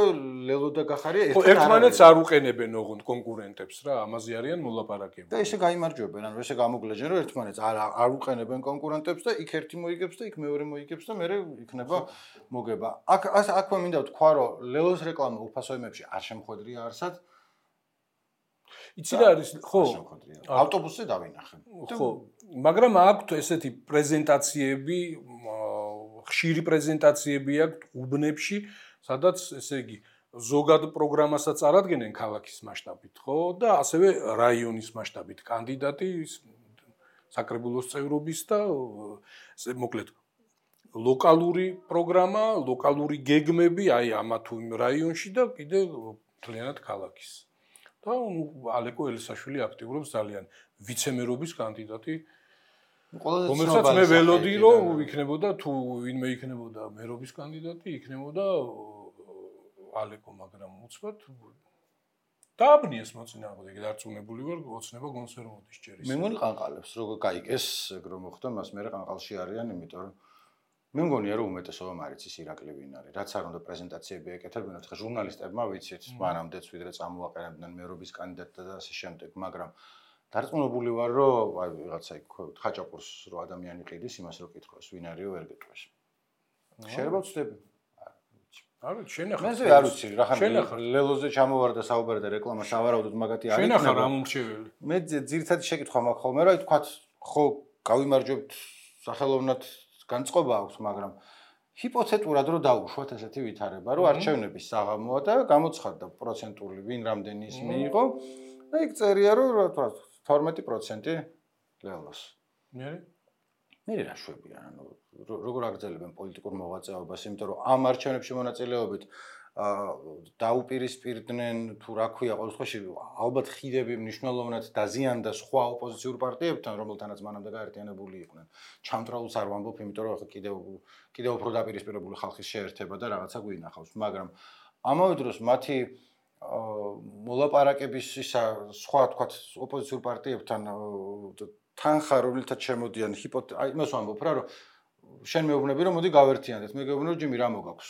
ლელო და გახარია ერთად ერთმანეთს არ უყენებენ ოღონდ კონკურენტებს რა ამაზე არიან მოლაპარაკები და ესე გაიმარჯვებენ ანუ ესე გამოგლეჯენ რომ ერთმანეთს არ არ უყენებენ კონკურენტებს და იქ ერთი მოიგებს და იქ მეორე მოიგებს და მეორე იქნება მოგება აქ აქვე მინდა ვთქვა რომ ლელოს რეკლამა უფასოებებში არ შემხვედრია არსად იცი რა არის ხო ავტობუსზე დავინახე ხო მაგრამ აქვთ ესეთი პრეზენტაციები ხშირი პრეზენტაციები აქვთ უბნებში სადაც ესე იგი ზოგად პროგრამასაც წარადგენენ ქალაქის მასშტაბით, ხო? და ასევე რაიონის მასშტაბით კანდიდატი საკრებულოს წევრობის და მოკლედ ლოკალური პროგრამა, ლოკალური გეგმები აი ამა თუ იმ რაიონში და კიდე მთლიანად ქალაქის. და ალეკო ელისაშვილი აქტიურობს ძალიან ვიცემერობის კანდიდატი. რომელსაც მე ველოდი რომ იქნებოდა თუ ვინმე იქნებოდა მერობის კანდიდატი, იქნებოდა ალეკო, მაგრამ უცბად დააბნიეს მოწინააღმდეგე, დარწმუნებული ვარ, ოცნება გონს ვერ მოდის ჯერის. მე მგონი ყანყალებს, როგორ გაიგეს, ეგ რომ მოხდა, მას მე ყანყალში არიან, იმიტომ რომ მე მგონია რომ უმეტესობა მარიცის ირაკლი ვინ არის, რაც არ უნდა პრეზენტაციები ეკეთებინათ, ხა ჟურნალისტებმა ვიცით, მანამდეც ვიდრე წამოაყენებდნენ მერობის კანდიდატთა და ასე შემდეგ, მაგრამ დარწმუნებული ვარ, რომ აი ვიღაცა იქ ხაჭაპურს რო ადამიანი ყიდის, იმას რო კითხოს, ვინ არისო ვერ გეტყვეს. შეიძლება ვწდები. არ ვიცი, შენახა. მე არ ვიცი, რა ხან ლელოზე ჩამოვარდა საუბარი და რეკლამა სავარაუდოდ მაგათი არის. შენახა რა მომრჩეველი. მე ძირითადად შეკითხვა მაქვს ხოლმე, რომ აი თქვათ, ხო, გავიმარჯვებთ სახელოვნად განწყობა აქვს, მაგრამ ჰიპოთეტურად რო დაუშვათ ესეთი ვითარება, რომ არჩევნების საღამოა და გამოცხადდა პროცენტული ვინ რამდენი ის მიიღო და იქ წერია რომ რა თქვა თორმეტი პროცენტი ლელოს. მე მე რა შვებია, ანუ როგორ აგრძელებენ პოლიტიკურ მოღვაწეობას, იმიტომ რომ ამ არჩევნებში მონაწილეობით დაუპირისპირდნენ თუ რა ქვია, ყოველ შემთხვევაში ალბათ ხიდები მნიშვნელოვნად დაზიანდა სხვა ოპოზიციურ პარტიებთან, რომელთანაც მანამდე გაერთიანებული იყვნენ. ჩამტრალს არ ვამბობ, იმიტომ რომ ახლა კიდევ კიდევ უფრო დაპირისპირებული ხალხის შეერთება და რაღაცა გვინახავს, მაგრამ ამავე დროს მათი მოლაპარაკების ისა სხვა თქვა ოპოზიციურ პარტიებთან თანხა რომელთაც შემოდიან ჰიპოთე აი იმას ვამბობ რა რომ შენ მეუბნები რომ მოდი გავერთიანდეთ მე გეუბნები რომ ჯიმი რა მოგაქვს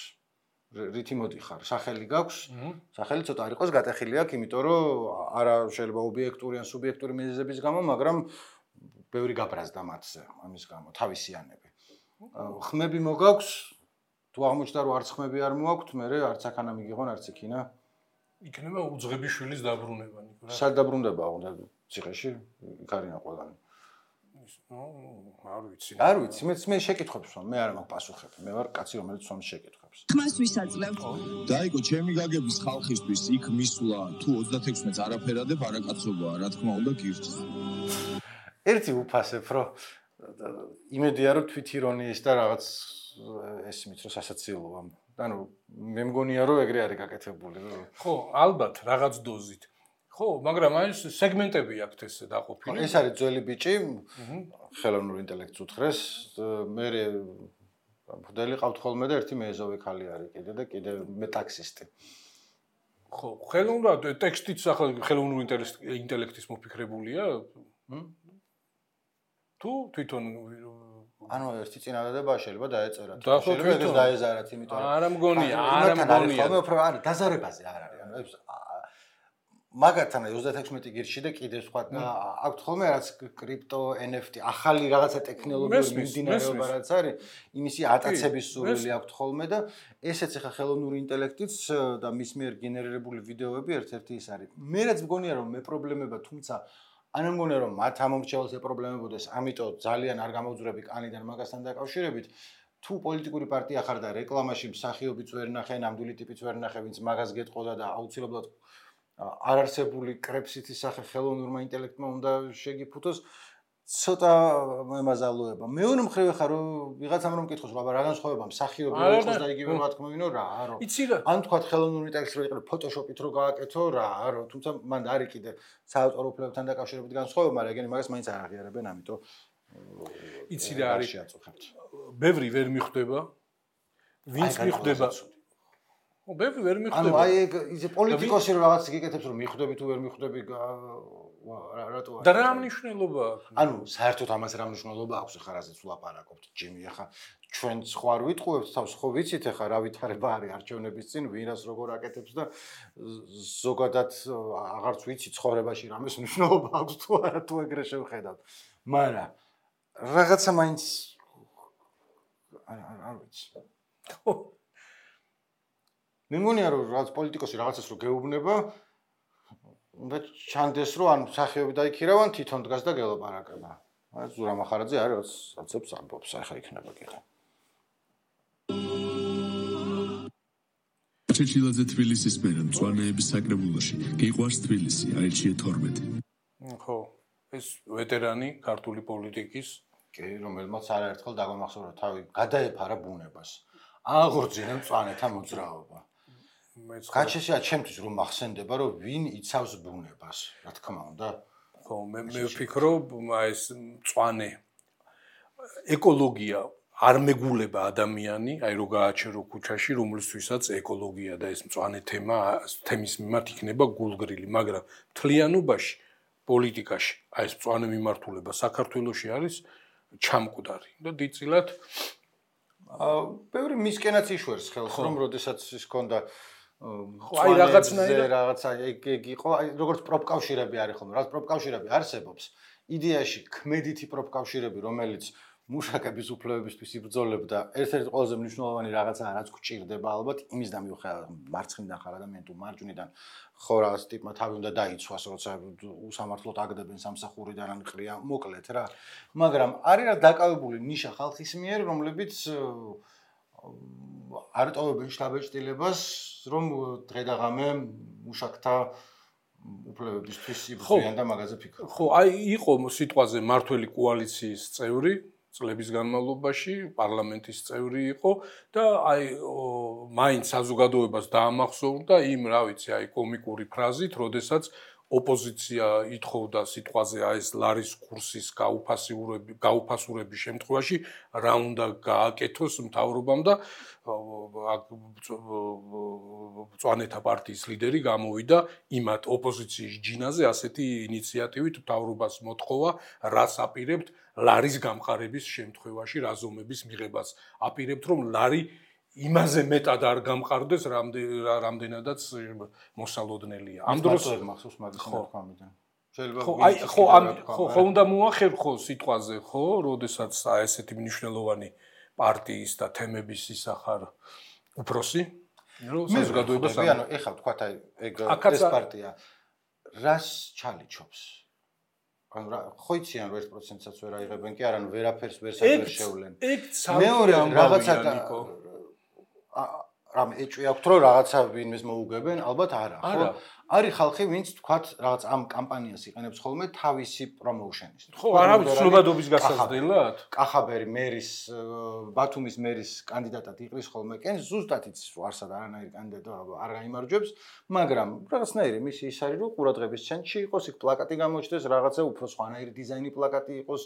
რითი მოდიხარ სახელი გაქვს სახელი ცოტა არ იყოს გატეხილი აქვს იმიტომ რომ არა შეიძლება ობიექტური ან სუბიექტური მიზეზების გამო მაგრამ ბევრი გაბრაზდა მათზე ამის გამო თავისიანები ხმები მოგაქვს თუ აღმოჩნდა რომ არც ხმები არ მოაქვთ მე არც აქანა მიგიღონ არც იქინა იქნება უძღებიშვილის დაბრუნება ნიკო რა სად დაბრუნდება უნდა ციხეში იქარიან ყველანი ნუ არ ვიცი არ ვიცი მე მე შეკითხებს ვამ მე არ მაქვს პასუხები მე ვარ კაცი რომელიც სვამს შეკითხებს ხმას ვისაძლევთ დაიკო ჩემი გაგების ხალხისთვის იქ მისვლა თუ ოცდათექვსმეტს არაფერადებ არაკაცობაა რა თქმა უნდა გირჩს ერთი უფასებ რომ იმედია რომ თვითირონიის და რაღაც ესმით რომ სასაცილოა ანუ მე მგონია რომ ეგრე არის გაკეთებული ხო ალბათ რაღაც დოზით ხო მაგრამ აი სეგმენტები აქვს ეს დაყოფილი ეს არის ძველი ბიჭი ხელოვნურ ინტელექტს უთხრეს მე მოდელი ყავთ ხოლმე და ერთი მეეზოვე ხალი არის კიდე და კიდე მეტაქსისტი ხო ხელოვნურად ტექსტიც ახლა ხელოვნურ ინტელექტის მოფიქრებულია თუ თვითონ ანუ ერთი წინადადება შეიძლება დაეწერათ შეიძლება ეს დაეზარათ იმიტომ რომ არა მგონია არა მგონია ხოლმე უფრო არის დაზარებაზე არ არის ანუ ეს მაგათთან ოცდათექვსმეტი გირში და კიდე სხვა აქვთ ხოლმე რაც კრიპტო ენ ეფ ტი ახალი რაღაცა ტექნოლოგიური მიმდინარეობა რაც არის იმისი ატაცების სურვილი აქვთ ხოლმე და ესეც ახლა ხელოვნური ინტელექტიც და მის მიერ გენერირებული ვიდეოები ერთ-ერთი ის არის მე რაც მგონია რომ მე პრობლემება თუმცა ან მგონია რომ მათ ამორჩეულს ე პრობლემებოდეს ამიტომ ძალიან არ გამოვძვრები კანიდან მაგასთან დაკავშირებით თუ პოლიტიკური პარტია ხარ და რეკლამაში მსახიობიც ვერ ნახე ნამდვილი ტიპიც ვერ ნახე ვინც მაგას გეტყოდა და აუცილებლად არარსებული კრეფსითის სახე ხელოვნურმა ინტელექტმა უნდა შეგიფუთოს ცოტა მემაზალოება მეორე მხრივ ხარ რომ ვიღაცამ რომ მკითხოს რა განსხვავება მსახიობი იყოს და იგივე რა თქმა უნდა რა რა ან თქვა ხელოვნური ინტელექტს რო იყიდო ფოტოშოპით რო გააკეთო რა რა თუმცა მან არის კიდე საავტორო უფლებებთან დაკავშირებით განსხვავება მაგრამ ეგენი მაგას მაინც არ აღიარებენ ამიტომ იცი რა არის ბევრი ვერ მიხვდება ვინც მიხვდება ო ბევრი ვერ მიხვდება ანუ აი ეგ ისე პოლიტიკოსი რომ რაღაც გიკეთებს რომ მიხვდები თუ ვერ მიხვდები რატო და რა მნიშვნელობა აქვს ანუ საერთოდ ამას რა მნიშვნელობა აქვს ხა რაზეც ვლაპარაკობთ ჯიმი ხა ჩვენ სხვა არ ვიტყუებთ თავს ხო ვიცით ხა რა ვითარება არის არჩევნების წინ ვინას როგორ აკეთებს და ზოგადად აღარც ვიცი ცხოვრებაში რამეს მნიშვნელობა აქვს თუ არა თუ ეგრე შევხედავთ მაგრამ რაღაცა მაინც არ ვიცი ხო მე მგონია რომ რაღაც პოლიტიკოსი რაღაცას რო გეუბნება უნდა ჩანდეს რომ ან სახეობი დაიქირავან თვითონ დგას და გელაპარაკება. აი ზურა მახარაძე არის ოცებს ამბობს ახლა იქნება კიდე. ჩეჩილაძე თბილისის მერე მწვანეების საკრებულოში გიყვარს თბილისი აირჩიე თორმეტი. ხო, ეს ვეტერანი ქართული პოლიტიკის კი, რომელმაც არაერთხელ დაგამახსოვრა თავი გადაეფარა ბუნებას. აღორძინა მწვანეთა მოძრაობა. გაჩესია ჩემთვის რომ მახსენდება რომ ვინ იცავს ბუნებას, რა თქმა უნდა. ხო, მე მე ვფიქრობ, ეს მწვანე ეკოლოგია არ მეგულება ადამიანი, აი რო გააჩერო ქუჩაში, რომლისთვისაც ეკოლოგია და ეს მწვანე თემა თემის მიმართ იქნება გულგრილი, მაგრამ მთლიანობაში პოლიტიკაში აი ეს მწვანე მიმართულება საქართველოში არის ჩამკვდარი და დიდწილად აა ბევრი მისკენაც იშვერს ხელს, რომ როდესაც ის ქონდა ხო აი რაღაცნაირად რაღაცა ეგ ეგ იყო, აი როგორც პროფკავშირები არის ხოლმე, რაც პროფკავშირები არსებობს, იდეაში ქმედითი პროფკავშირები, რომელიც მუშაკების უფლებებისთვის იბრძოლებდა, ერთ-ერთი ყველაზე მნიშვნელოვანი რაღაცაა, რაც გვჭირდება ალბათ, იმის და მიუხედავად მარცხნიდან ხარ ადამიანი თუ მარჯვნიდან, ხო რაღაც ტიპმა თავი უნდა დაიცვას, როცა უსამართლოდ აგდებენ სამსახურიდან ან ყრია, მოკლედ რა. მაგრამ არის რა დაკავებული ნიშა ხალხის მიერ, რომლებიც არ ტოვებენ შთაბეჭდილებას, რომ დღე და ღამე მუშაკთა უფლებებისთვის იბრძვიან და მაგაზე ფიქრობენ. ხო, აი იყო სიტყვაზე მართველი კოალიციის წევრი წლების განმავლობაში პარლამენტის წევრი იყო და აი მაინც საზოგადოებას დაამახსოვრდა იმ, რა ვიცი, აი კომიკური ფრაზით, როდესაც ოპოზიცია ითხოვდა სიტყვაზე აი ეს ლარის კურსის გაუფასურების გაუფასურების შემთხვევაში რა უნდა გააკეთოს მთავრობამ და მწვანეთა პარტიის ლიდერი გამოვიდა იმათ ოპოზიციის ჯინაზე ასეთი ინიციატივით მთავრობას მოთხოვა რას აპირებთ ლარის გამყარების შემთხვევაში რაზომების მიღებას აპირებთ რომ ლარი იმაზე მეტად არ გამყარდეს რამდენადაც მოსალოდნელია. ამ დროს მახსოვს მაგის ნათქვამიდან. შეიძლება ხო აი ხო ამ ხო ხო უნდა მოახერხო სიტყვაზე ხო, როდესაც აი ესეთი მნიშვნელოვანი პარტიის და თემების ისახარ უფროსი რომ საზოგადოებას ანუ ეხლა თქვათ აი ეგ ეს პარტია რას ჩალიჩობს? ანუ რა ხო იციან რომ ერთ პროცენტსაც ვერ აიღებენ კი არა, ანუ ვერაფერს ვერ შევლენ. ეგ მეორე რაღაცა რამე ეჭვი აქვს რომ რაღაცა ვინმეს მოუგებენ, ალბათ არა, ხო? არის ხალხი, ვინც თქვათ რაღაც ამ კამპანიას იყენებს ხოლმე თავისი პრომოუშენის. ხო, არავის ცნობადობის გასაზრდელად? კახაბერი მერის, ბათუმის მერის კანდიდატად იყრის ხოლმე, კენ ზუსტად იცის რომ არსად არანაირი კანდიდატი არ გაიმარჯვებს, მაგრამ რაღაცნაირი მისი ის არის რომ ყურადღების ცენტრში იყოს, იქ პლაკატი გამოჩნდეს, რაღაცა უფრო სხვანაირი დიზაინი პლაკატი იყოს.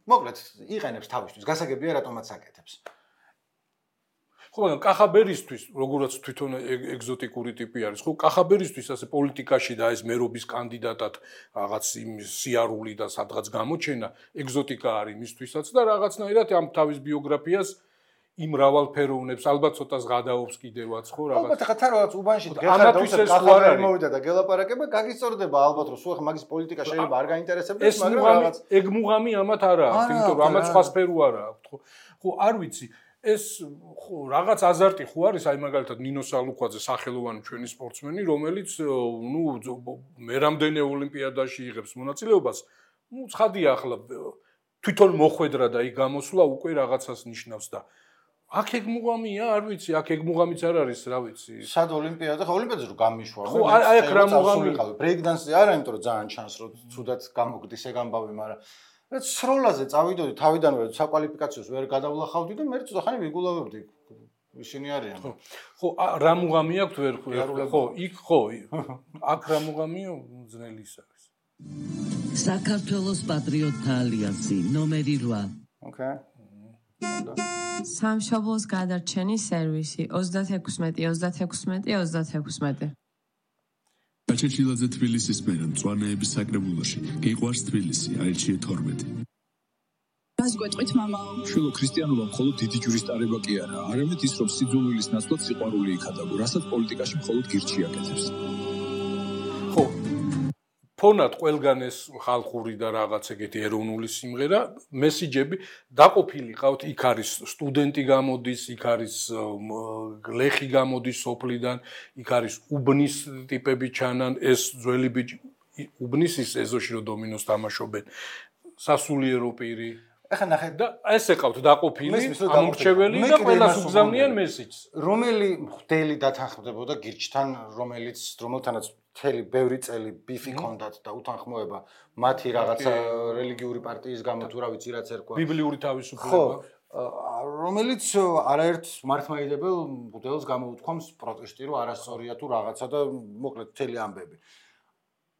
მოკლედ, იყენებს თავისთვის, გასაგებია რატომაც აკეთებს. ხო, მაგრამ კახაბერისთვის, როგორც თვითონ ეგზოტიკური ტიპი არის, ხო, კახაბერისთვის ასე პოლიტიკაში და ეს მერობის კანდიდატად რაღაც იმ სიარული და სადღაც გამოჩენა ეგზოტიკა არის მისთვისაც და რაღაცნაირად ამ თავის ბიოგრაფიას იმ მრავალფეროვნებს ალბათ ცოტა ზღადაობს კიდევაც, ხო, რაღაც. ალბათ ხა რაღაც უბანში დღესაც კახაბერი მოვიდა და გელაპარაკება, გაგისწორდება ალბათ რომ სულ ხა მაგის პოლიტიკა შეიძლება არ გაინტერესებდეს, მაგრამ რაღაც ეგ მუღამი ამათ არა აქვს, იმიტომ რომ ამათ სხვა სფერო არა აქვს, ხო. ხო, არ ვიცი. ეს ხო რაღაც აზარტი ხო არის აი მაგალითად ნინო სალუქვაძე სახელოვანი ჩვენი სპორტსმენი რომელიც ნუ მე რამდენი ოლიმპიადაში იღებს მონაწილეობას ნუ ცხადია ახლა თვითონ მოხვედრა და იქ გამოსვლა უკვე რაღაცას ნიშნავს და აქ ეგ მუღამია არ ვიცი აქ ეგ მუღამიც არ არის რა ვიცი სად ოლიმპიადა ხო ოლიმპიადაზე რო გამიშვა ხო აი აქ რა მუღამი ბრეიკდანსზე არა იმიტომ რომ ძალიან ჩანს რომ თუდად გამოგდის ეგ ამბავი მაგრამ რაც სროლაზე წავიდოდი თავიდანვე საკვალიფიკაციოს ვერ გადავლახავდი და მე ცოტა ხანი ვიგულავებდი ისინი არიან ხო ხო რა მუღამი აქვს ვერ ხო იქ ხო აქ რა მუღამია ძნელი ის არის საქართველოს პატრიოტთა ალიანსი ნომერი რვა ოკეი სამშობლოს გადარჩენის სერვისი ოცდაექვსმეტი ოცდაექვსმეტი ოცდაექვსმეტი ჩეჩილაძე თბილისის მერე მწვანეების საკრებულოში გიყვარს თბილისი აირჩიე თორმეტი რას გვეტყვით მამაო შვილო ქრისტიანობა მხოლოდ დიდი ჯურის ტარება კი არა არამედ ის რომ სიძულვილის ნაცვლად სიყვარული იქადაგო რასაც პოლიტიკაში მხოლოდ გირჩი აკეთებს ხო ფონად ყველგან ეს ხალხური და რაღაც ეგეთი ეროვნული სიმღერა მესიჯები დაყოფილი ყავთ იქ არის სტუდენტი გამოდის იქ არის გლეხი გამოდის სოფლიდან იქ არის უბნის ტიპები ჩანან ეს ძველი ბიჭი უბნის ის ეზოში რომ დომინოს თამაშობენ სასულიერო პირი ეხლა ნახე და ესე ყავთ დაყოფილი ამორჩეველი და ყველას უგზავნიან მესიჯს. რომელი მღვდელი დათანხმდებოდა გირჩთან, რომელიც რომელთანაც მთელი ბევრი წელი ბიფი ჰქონდათ და უთანხმოება მათი რაღაცა რელიგიური პარტიის გამო თუ რა ვიცი რაც ერქვა. ბიბლიური თავისუფლება. რომელიც არაერთ მართლმადიდებელ მღვდელს გამოუთქვამს პროტესტი რომ არასწორია თუ რაღაცა და მოკლედ მთელი ამბები.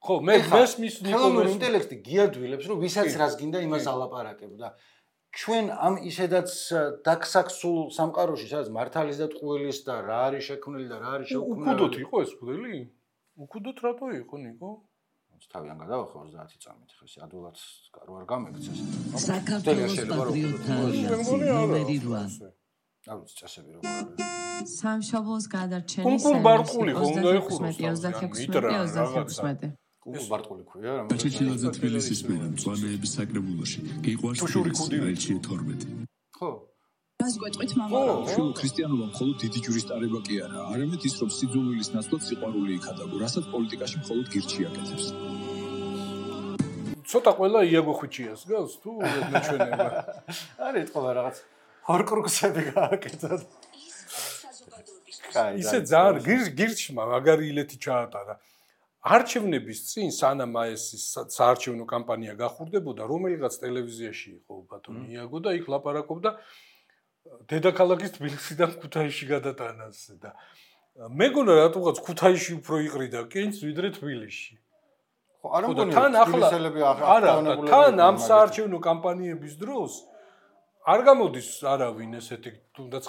ხო, მე მესმის ნიკოლოს ინტელექტი გიადვილებს რომ ვისაც რას გინდა იმას ალაპარაკებ და ჩვენ ამ ისედაც დაქსაქსულ სამყაროში სადაც მართალის და ტყუილის და რა არის შექმნილი და რა არის შეუქმნელი. უკუდოთ იყო ეს მღვდელი? უკუდოთ რატო იყო ნიკო? თავიდან გადავახო ოცდაათი წამით ხე ეს ადვილად რო არ გამექცეს. საქართველოს პატრიოტთა ალიანსი ნომერი რვა. აუც წესები როგორ არის. სამშობლოს გადარჩენის კუნკულ ბარყული ხო უნდა ეხუროს ოცდაათი ოცდაათი კუნკულ ბარყული ქვია რა. ჩეჩილაძე თბილისის მერე მწვანეების საკრებულოში გიყვარს ელჩი თორმეტი. ხო რას გვეტყვით მამა? შულო ქრისტიანობა მხოლოდ დიდი ჯურის ტარება კი არა, არამედ ის რომ სიძულვილის ნაცვლად სიყვარული იქადაგო, რასაც პოლიტიკაში მხოლოდ გირჩი აკეთებს. ცოტა ყველა იაგო ხვიჩიას გავს თუ მეჩვენება. არის თქო რაღაც ორკრუქსები გააკეთოთ. ისე ძალიან გირჩმა მაგარი ილეთი ჩაატარა. არჩევნების წინ სანამ ეს საარჩევნო კამპანია გახურდებოდა, რომელიღაც ტელევიზიაში იყო ბატონი იაგო და იქ ლაპარაკობდა დედაქალაქის თბილისიდან ქუთაისში გადატანაზე და მეგონა რატოღაც ქუთაისში უფრო იყრიდა კენს ვიდრე თბილისში. ხო, არ მგონია თან ახლა არა, თან ამ საარჩევნო კამპანიების დროს არ გამოდის არავინ ესეთი თუნდაც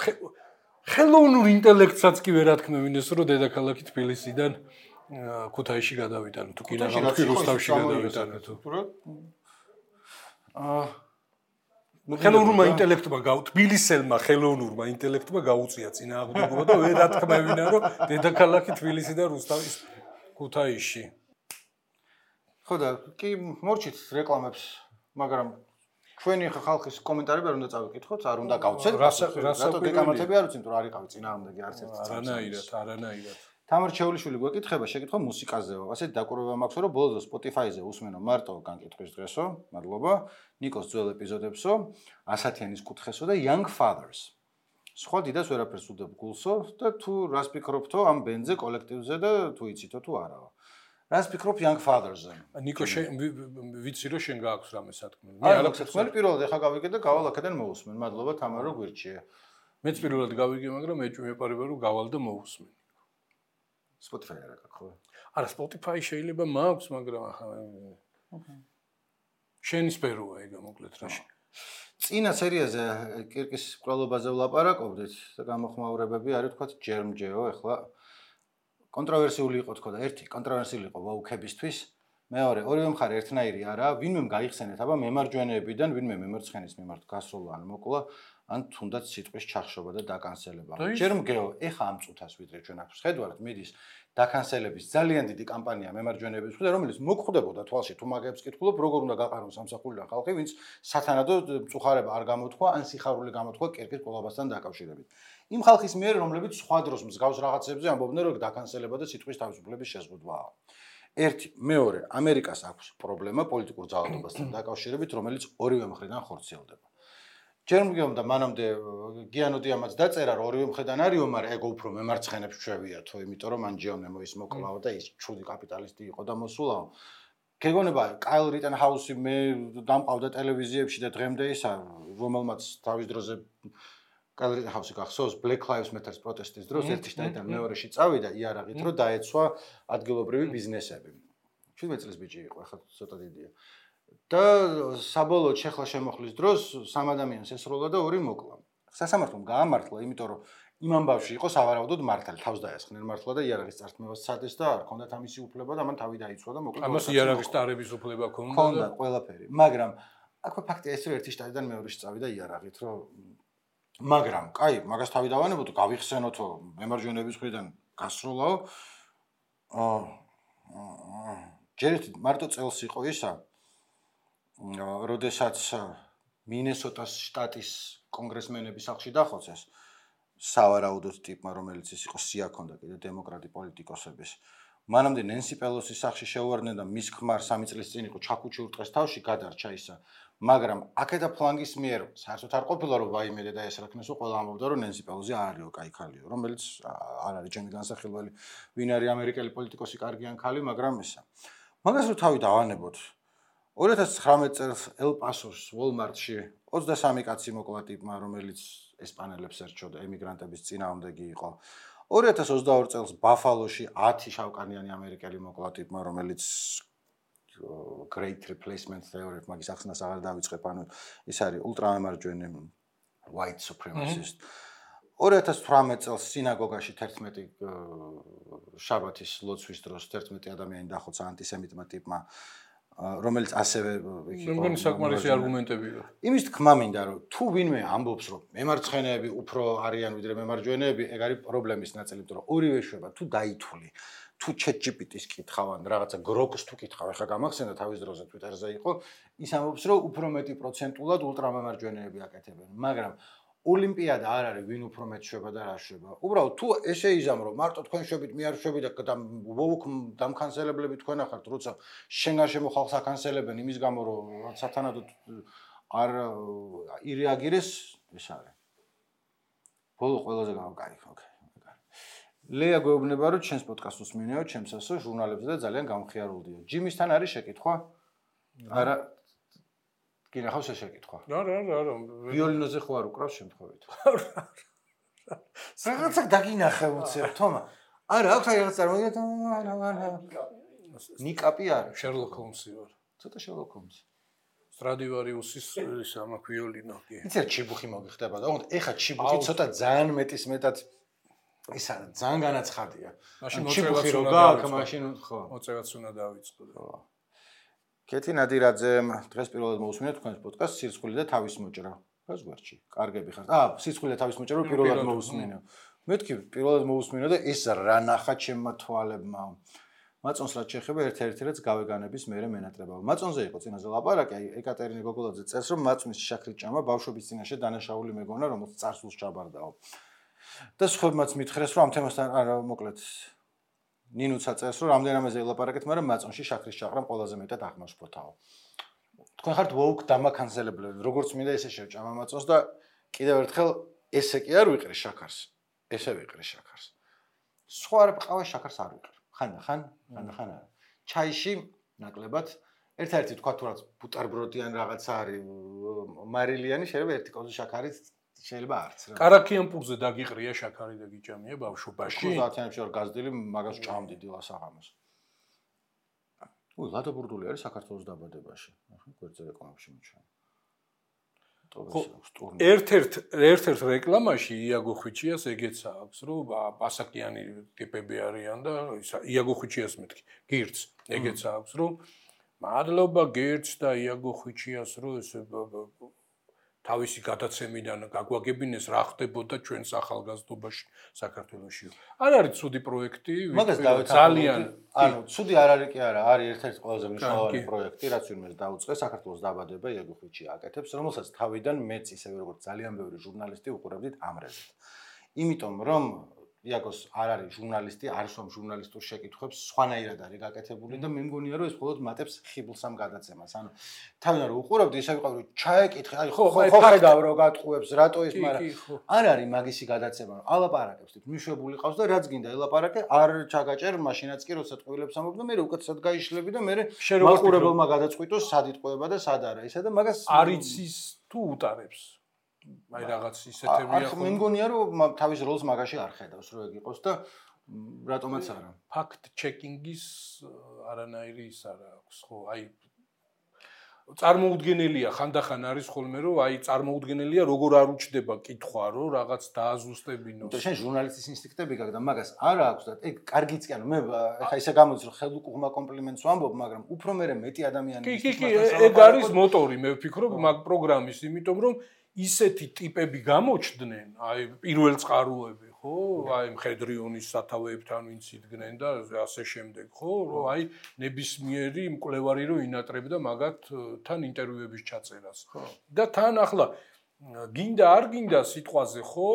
ხელოვნურ ინტელექტსაც კი ვერ ათქმევინეს რომ დედაქალაქი თბილისიდან ქუთაისში გადავიტანო თუ კი რა თქვი რუსთავში გადავიტანო თუ აა ხელოვნურმა ინტელექტმა თბილისელმა ხელოვნურმა ინტელექტმა გაუწია წინააღმდეგობა და ვერ ათქმევინა რომ დედაქალაქი თბილისი და რუსთავის ქუთაისში. ხო და კი მორჩით რეკლამებს, მაგრამ ჩვენი ხალხის კომენტარები არ უნდა წავიკითხოთ, არ უნდა გავცეთ. რატო გეკამათები არ უცინთ რომ არ იყავი წინააღმდეგი არც ერთი წამს. არანაირად, არანაირად. თამარ ჩეულიშვილი გვეკითხება, შეკითხვა მუსიკაზეო. ასეთ დაკვირვება მაქვს, რომ ბოლოს Spotify-ზე უსმენო მარტო განკითხვის დღესო. მადლობა. ნიკოს ძველ ეპიზოდებსო, ასათიანის კუთხესო და Young Fathers. სხვა დიდას ვერაფერს უდებ გულსო და თუ რას ფიქრობთო ამ ბენდზე, კოლექტივზე და თუ იცითო თუ არაო. რას ფიქრობ Young Fathers-ზე? ნიკო ვიცი რომ შენ გააქვს რამე სათქმელი. მე არ აქვს სათქმელი, პირველად ეხა გავიგე და გავალ აქედან მოусმენ. მადლობა თამარ რომ გვირჩიე. მეც პირველად გავიგე, მაგრამ მეპარება რომ გავალ და მოусმენ. Spotify არ აქვს ხო? არა, Spotify შეიძლება მაქვს, მაგრამ ახლა შენი სფეროა ეგ მოკლედ რა. წინა სერიაზე კირკის კვლელობაზე ვლაპარაკობდით და გამოხმაურებები არის თქვა ჯერმჯეო, ეხლა კონტროვერსიული იყო თქო და ერთი კონტროვერსიული იყო ვაუქებისთვის, მეორე ორივე მხარე ერთნაირი არაა, ვინმე გაიხსენეთ, აბა მემარჯვენეებიდან ვინმე მემარცხენეს მიმართ გასულა ან მოკლა, ან თუნდაც სიტყვის ჩახშობა და დაკანსელება. ჯერმგეო, ეხა ამ წუთას ვიდრე ჩვენ აქვს ხედავთ, მიდის დაკანსელების ძალიან დიდი კამპანია მემარჯვენეების მხრიდან, რომელიც მოგხვდებოდა თვალში თუ მაგებს კითხულობ, როგორ უნდა გაყარონ სამსახურიდან ხალხი, ვინც სათანადო მწუხარება არ გამოთქვა, ან სიხარული გამოთქვა კირკის კვლავასთან დაკავშირებით. იმ ხალხის მიერ, რომლებიც სხვა დროს მსგავს რაღაცებზე ამბობდნენ, რომ დაკანსელება და სიტყვის თავისუფლების შეზღუდვაა. ერთი, მეორე, ამერიკას აქვს პრობლემა პოლიტიკურ ძალადობასთან დაკავშირებით, რომელიც ორივე მხრიდან ხორციელდება. ჯერმგეომ და მანამდე გიანოდი ამაც დაწერა, რომ ორივე მხრიდან არისო, მაგრამ ეგ უფრო მემარცხენებს ჩვევიათო, იმიტომ რომ მან ჯეონემო ის მოკლაო და ის ჩუდი კაპიტალისტი იყო და მოსულაო. გეგონება კაილ რიტენჰაუსი მე დამყავდა ტელევიზიებში და დღემდე ისა, რომელმაც თავის დროზე კაილ რიტენჰაუსი გახსოვს Black Lives Matter პროტესტის დროს ერთი შტატიდან მეორეში წავიდა იარაღით, რომ დაეცვა ადგილობრივი ბიზნესები. შვიდმეტ წლის ბიჭი იყო, ახლა ცოტა დიდია. და საბოლოოდ შეხლა შემოხლის დროს სამ ადამიანს ესროლა და ორი მოკლა. სასამართლომ გაამართლა, იმიტომ რომ იმ ამბავში იყო სავარაუდოდ მართალი, თავს დაესხნენ მართლა და იარაღის წართმევას სცადეს და არ ჰქონდა ამისი უფლება და მან თავი დაიცვა და მოკლა. ამას იარაღის ტარების უფლება ჰქონდა. ჰქონდა ყველაფერი, მაგრამ აქვე ფაქტია ეს რომ ერთი შტატიდან მეორეში წავიდა იარაღით, რომ მაგრამ, კაი, მაგას თავი დავანებოთ, გავიხსენოთო მემარჯვენეების მხრიდან გასროლაო. აა ჯერ მარტო წელს იყო ისა როდესაც მინესოტას შტატის კონგრესმენები სახლში დახოცეს სავარაუდოდ ტიპმა, რომელიც ის იყო სია ქონდა კიდე დემოკრატი პოლიტიკოსების. მანამდე ნენსი პელოსის სახლში შეუვარდნენ და მის ქმარ სამი წლის წინ იყო ჩაკუჩი ურტყეს თავში გადარჩა ისა. მაგრამ აქეთა ფლანგის მიერ საერთოდ არ ყოფილა რომ ვაიმე და ეს რაკნესო ყველა ამბობდა რომ ნენსი პელოზი არ არისო კაი ქალიო, რომელიც არ არის ჩემი განსახილველი, ვინ არის ამერიკელი პოლიტიკოსი კარგიან ქალი, მაგრამ ესა. მაგას რო თავი დავანებოთ. ორი ათას ცხრამეტ წელს ელ-პასოს ვოლმარტში ოცდასამი კაცი მოკლა ტიპმა, რომელიც ესპანელებს ერჩოდა, ემიგრანტების წინააღმდეგი იყო. ორი ათას ოცდაორი წელს ბაფალოში ათი შავკანიანი ამერიკელი მოკლა ტიპმა, რომელიც great replacement theory მაგის ახსნას აღარ დავიწყებ, ანუ ის არის ულტრამემარჯვენე white supremacist. ორი ათას თვრამეტ წელს სინაგოგაში თერთმეტი შაბათის ლოცვის დროს თერთმეტი ადამიანი დახოცა ანტისემიტმა ტიპმა, რომელიც ასევე მეგონი საკმარისი არგუმენტებია. იმის თქმა მინდა რომ თუ ვინმე ამბობს რომ მემარცხენეები უფრო არიან ვიდრე მემარჯვენეები, ეგ არის პრობლემის ნაწილი, იმიტომ რომ ორივე შვება თუ დაითვლი თუ ChatGPT-ს კითხავ ან რაღაცა გროკს თუ კითხავ, ახლა გამახსენდა თავის დროზე Twitter-ზე იყო, ის ამბობს რომ უფრო მეტი პროცენტულად ულტრამემარჯვენეები აკეთებენ, მაგრამ ოლიმპიადა არ არის ვინ უფრო მეტ შვება და რა შვება. უბრალოდ თუ ესე იზამ რომ მარტო თქვენ შვებით მე არ შვები და ვოუქ დამკანსელებლები თქვენ ახართ, როცა შენ გარშემო ხალხს აკანსელებენ იმის გამო რომ სათანადოდ არ ირეაგირეს, ეს არის. ბოლო ყველაზე გამკაი, ოკეი. ლეა გვეუბნება რომ ჩვენს პოდკასტს უსმინეო, ჩემს ასო ჟურნალებზე და ძალიან გამხიარულდიო. ჯიმისთან არის შეკითხვა? არა. გინახავს ეს შეკითხვა? არა, არა, არა. ვიოლინოზე ხო არ უკრავს შემთხვევით? რაღაცა დაგინახე უცებ, თომა. არა, აქვს რაღაც წარმოიდგინეთ, არა, არა. ნიკაპი არის. შერლოკ ჰოლმსი ვარ. ცოტა შერლოკ ჰოლმსი. სტრადივარიუსის ის ამა ვიოლინო კი. იცი რა ჩიბუხი მოგიხდება და ოღონდ ეხა ჩიბუხი ცოტა ძალიან მეტის მეტად ის არა, ძალიან განაცხადია. მაშინ მოწევაც უნდა გაქვს, მაშინ ხო. მოწევაც უნდა დავიწყო. ხო. კეთი ნადირაძემ დღეს პირველად მოусმინეთ თქვენს პოდკასტს სირცხული და თავის მოჭრა. გას გვერდში. კარგები ხართ. აა, სირცხული და თავის მოჭრა პირველად მოусმინე. მეთქი პირველად მოусმინე და ეს რა ნახა ჩემმა თვალებმა. მაწონს რაც შეეხება ერთ-ერთი რაც გავეგანების მერე მენატრებავ. მაწონზე იყო წინაზე ლაპარაკი, აი ეკატერინე გოგოლაძე წერს რომ მაწონის შაქრით ჭამა ბავშვობის წინაშე დანაშაული მეგონა, რომელიც წარსულს ჩაბარდაო. და სხვებმაც მითხრეს რომ ამ თემასთან არა მოკლედ ნინუცა წერს რომ რამდენამეზე ელაპარაკეთ, მაგრამ მაწონში შაქრის ჭაყრამ ყველაზე მეტად აღმაშფოთაო. თქვენ ხართ ვოუქ დამაკანსელებლები, როგორც მინდა ესე შევჭამა მაწონს და კიდევ ერთხელ ესე კი არ ვიყრი შაქარს, ესე ვიყრი შაქარს. სხვა არ ყავა შაქარს არ ვიყრი. ხან-ხან, ხან-ხან არა. ჩაიში ნაკლებად ერთ-ერთი თქვა თუ რაც ბუტარბროდიან რაღაცა არის მარილიანი, შეიძლება ერთი კოზი შაქარით შეიძლება არც რა. კარაქიან პურზე დაგიყრია შაქარი და გიჭამია ბავშვობაში. ოცდაათიანებში ვარ გაზრდილი, მაგას ჭამდი დილას აღამოს. უი, ლადო ბურდული არის საქართველოს დაბადებაში. ახლა გვერდზე რეკლამებში მიჩვენა. ერთ-ერთ ერთ-ერთ რეკლამაში იაგო ხვიჩიას ეგეც აქვს, რომ პასაკიანი ტიპები არიან და იაგო ხვიჩიას მეთქი, გირც ეგეც აქვს, რომ მადლობა გირც და იაგო ხვიჩიას, რომ ეს თავისი გადაცემიდან გაგვაგებინეს რა ხდებოდა ჩვენს ახალგაზრდობაში საქართველოში. არ არის ცუდი პროექტი, ძალიან ანუ ცუდი არ არის კი არა, არის ერთ-ერთი ყველაზე მნიშვნელოვანი პროექტი, რაც ვინმეს დაუწყეს საქართველოს დაბადება იაგო ხვიჩია აკეთებს, რომელსაც თავიდან მეც ისევე როგორც ძალიან ბევრი ჟურნალისტი უყურებდით ამრეზე. იმიტომ რომ იაგოს არ არის ჟურნალისტი, არ სვამ ჟურნალისტურ შეკითხვებს, სხვანაირად არის გაკეთებული და მე მგონია რომ ეს მხოლოდ მატებს ხიბლს ამ გადაცემას. ანუ თავიდან რომ უყურებდი, ისე ვიყავი რომ ჩაეკითხე, აი ხო ხო ხედავ რომ გატყუებს, რატო ეს, მაგრამ არ არის მაგისი გადაცემა, რომ ალაპარაკებს თვით მიშვებული ყავს და რაც გინდა ელაპარაკე, არ ჩაგაჭერ, მაშინაც კი როცა ტყუილებს ამბობ და მე უკეთესად გაიშლები და მე მაყურებელმა გადაწყვიტოს სად იტყუება და სად არა. ისა და მაგას არიცის თუ უტარებს. აი რაღაც ისეთებია ხო. მე მგონია რომ თავის როლს მაგაში არ ხედავს, რომ ეგ იყოს და რატომაც არა. ფაქტ ჩეკინგის არანაირი ის არა აქვს, ხო? აი წარმოუდგენელია, ხანდახან არის ხოლმე რომ აი წარმოუდგენელია როგორ არ უჩდება კითხვა, რომ რაღაც დააზუსტებინოს. და შენ ჟურნალისტის ინსტინქტები გაქვს და მაგას არა აქვს და ეგ კარგიც კი ანუ მე ეხა ისე გამოდის რომ ხელუყუღმა კომპლიმენტს ვამბობ, მაგრამ უფრო მე მეტი ადამიანი კი კი კი ეგ არის მოტორი, მე ვფიქრობ მაგ პროგრამის, იმიტომ რომ ისეთი ტიპები გამოჩდნენ, აი პირველ წყაროები, ხო? აი მხედრიონის სათავეებთან ვინც იდგნენ და ასე შემდეგ, ხო? რომ აი ნებისმიერი მკვლევარი რო ინატრებდა მაგათთან ინტერვიუების ჩაწერას. და თან ახლა გინდა არ გინდა სიტყვაზე, ხო?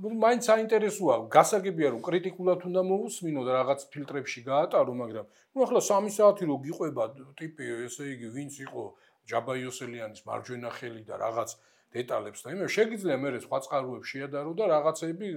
მაინც საინტერესოა, გასაგებია რომ კრიტიკულად უნდა მოусმინო და რაღაც ფილტრებში გაატარო, მაგრამ ნუ ახლა სამი საათი რო გიყვება ტიპი, ესე იგი ვინც იყო ჯაბაიოსელიანის მარჯვენა ხელი და რაღაც დეტალებს და იმე შეგიძლია მე სხვა წყაროებს შეადარო და რაღაცები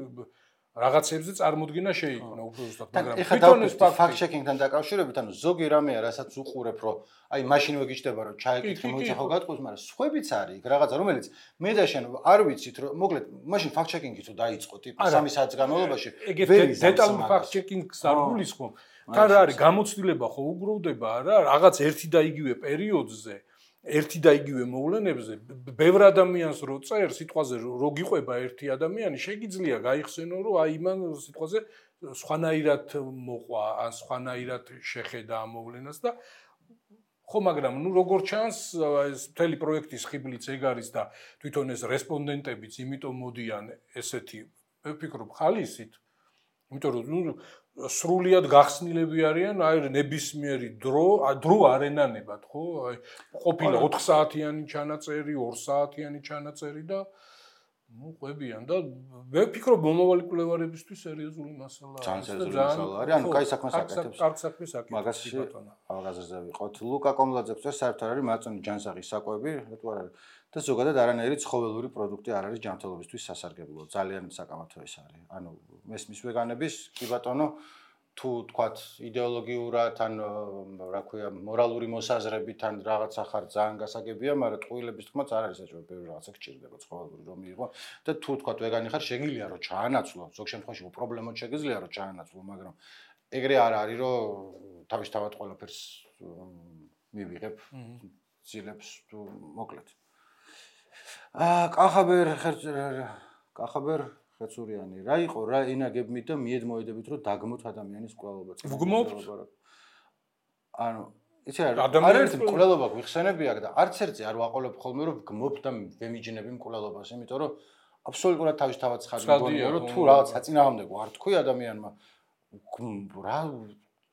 რაღაცებზე წარმოდგენა შეიქმნა უფრო ზუსტად, მაგრამ თვითონ ეს fact checking-თან დაკავშირებით, ანუ ზოგი რამეა, რასაც უყურებ, რომ აი მაშინვე გიჩნდება, რომ ჩაეკითხე, მოიცა ხო გატყუს, მაგრამ სხვებიც არის იქ რაღაცა, რომელიც მე და შენ არ ვიცით, რომ მოკლედ მაშინ fact checking-იც თუ დაიწყო ტიპი სამი საათის განმავლობაში, ვერ დეტალურ fact checking-ს არ გულისხმობ. თან რა არის გამოცდილება ხო უგროვდება არა, რაღაც ერთი და იგივე პერიოდზე ერთი და იგივე მოვლენებზე ბევრ ადამიანს რო წერ სიტყვაზე რო გიყვება ერთი ადამიანი შეგიძლია გაიხსენო რომ აი მან სიტყვაზე სხვანაირად მოყვა ან სხვანაირად შეხედა ამ მოვლენას და ხო მაგრამ ნუ როგორ ჩანს ეს მთელი პროექტის ხიბლიც ეგ არის და თვითონ ეს რესპონდენტებიც იმიტომ მოდიან ესეთი მე ვფიქრობ ხალისით იმიტომ რომ ნუ სრულიად გახსნილები არიან აი ნებისმიერი დრო დრო არ ენანებად ხო აი ყოფილა ოთხ საათიანი ჩანაწერი ორ საათიანი ჩანაწერი და ნუ ყვებიან და მე ვფიქრობ მომავალი კვლევარებისთვის სერიოზული მასალაა ძალიან სერიოზული მასალა არის ანუ კაი საქმეს აკეთებს კარგ საქმეს აკეთებს მაგაში აღაზრდა ვიყოთ ლუკა კომლაძეს წერ საერთოდ არის მაწონი ჯანსაღის საკვები რატო არ არის და ზოგადად არანაირი ცხოველური პროდუქტი არ არის ჯანმრთელობისთვის სასარგებლო. ძალიან საკამათო ეს არის. ანუ მესმის ვეგანების კი ბატონო თუ თქვათ იდეოლოგიურად ან რა ქვია მორალური მოსაზრებით ან რაღაცა ხარ ძალიან გასაგებია, მაგრამ ტყუილების თქმაც არ არის საჭირო ბევრი რაღაცა გჭირდება ცხოველური რომ მიიღო და თუ თქვათ ვეგანი ხარ შეგიძლია რომ ჩაანაცვლო, ზოგ შემთხვევაში უპრობლემოდ შეგიძლია რომ ჩაანაცვლო, მაგრამ ეგრე არ არის რომ თავისთავად ყველაფერს მივიღებ ძილებს თუ მოკლედ. აა კახაბერ კახაბერ ხეცურიანი რა იყო რა ენაგებმით და მიედმოედებით რომ დაგმოთ ადამიანის კვლელობა. ვგმობთ? ანუ იცი რა არაერთი კვლელობა გვიხსენები აქ და არც ერთი არ ვაყოლებ ხოლმე რომ ვგმობ და ვემიჯნები კვლელობას, იმიტომ რომ აბსოლუტურად თავისთავად ხარ მგონია რომ თუ რაღაც საწინააღმდეგო არ თქვი ადამიანმა რა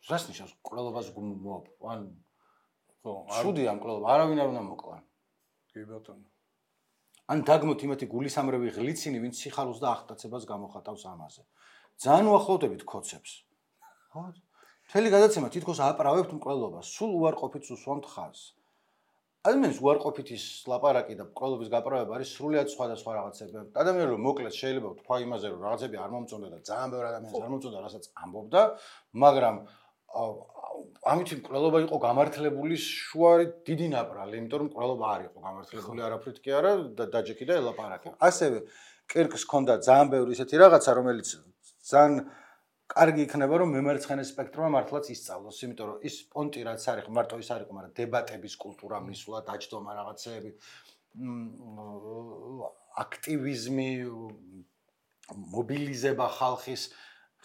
რას ნიშნავს კვლელობას ვგმობ? ან ხო, შუდი ამ კვლელობა არავინ არ უნდა მოკლა. კი ბატონო. ან დაგმოთ იმათი გულისამრევი ღლიცინი, ვინც სიხალოს და ახტაცებას გამოხატავს ამაზე. ძალიან უახლოვდებით ქოცებს. ხო? მთელი გადაცემა თითქოს აპრავებთ მკვლელობას, სულ უარყოფით უსვამთ ხაზს. ადამიანის უარყოფითის ლაპარაკი და მკვლელობის გაправება არის სრულიად სხვადასხვა რაღაცები. ადამიანი რომ მოკლედ შეიძლება თქვა იმაზე რომ რაღაცები არ მომწონდა და ძალიან ბევრი ადამიანს არ მომწონდა, რასაც ამბობდა, მაგრამ ამით მკვლელობა იყო გამართლებული შუარი დიდი ნაპრალი, იმიტომ რომ მკვლელობა არ იყო გამართლებული არაფრით კი არა და დაჯექი და ელაპარაკე. ასევე კირკს ჰქონდა ძალიან ბევრი ისეთი რაღაცა, რომელიც ძალიან კარგი იქნება რომ მემარცხენე სპექტრმა მართლაც ისწავლოს, იმიტომ რომ ის პონტი რაც არის, მარტო ის არ იყო, მაგრამ დებატების კულტურა მისვლა, დაჯდომა რაღაცეები, აქტივიზმი, მობილიზება ხალხის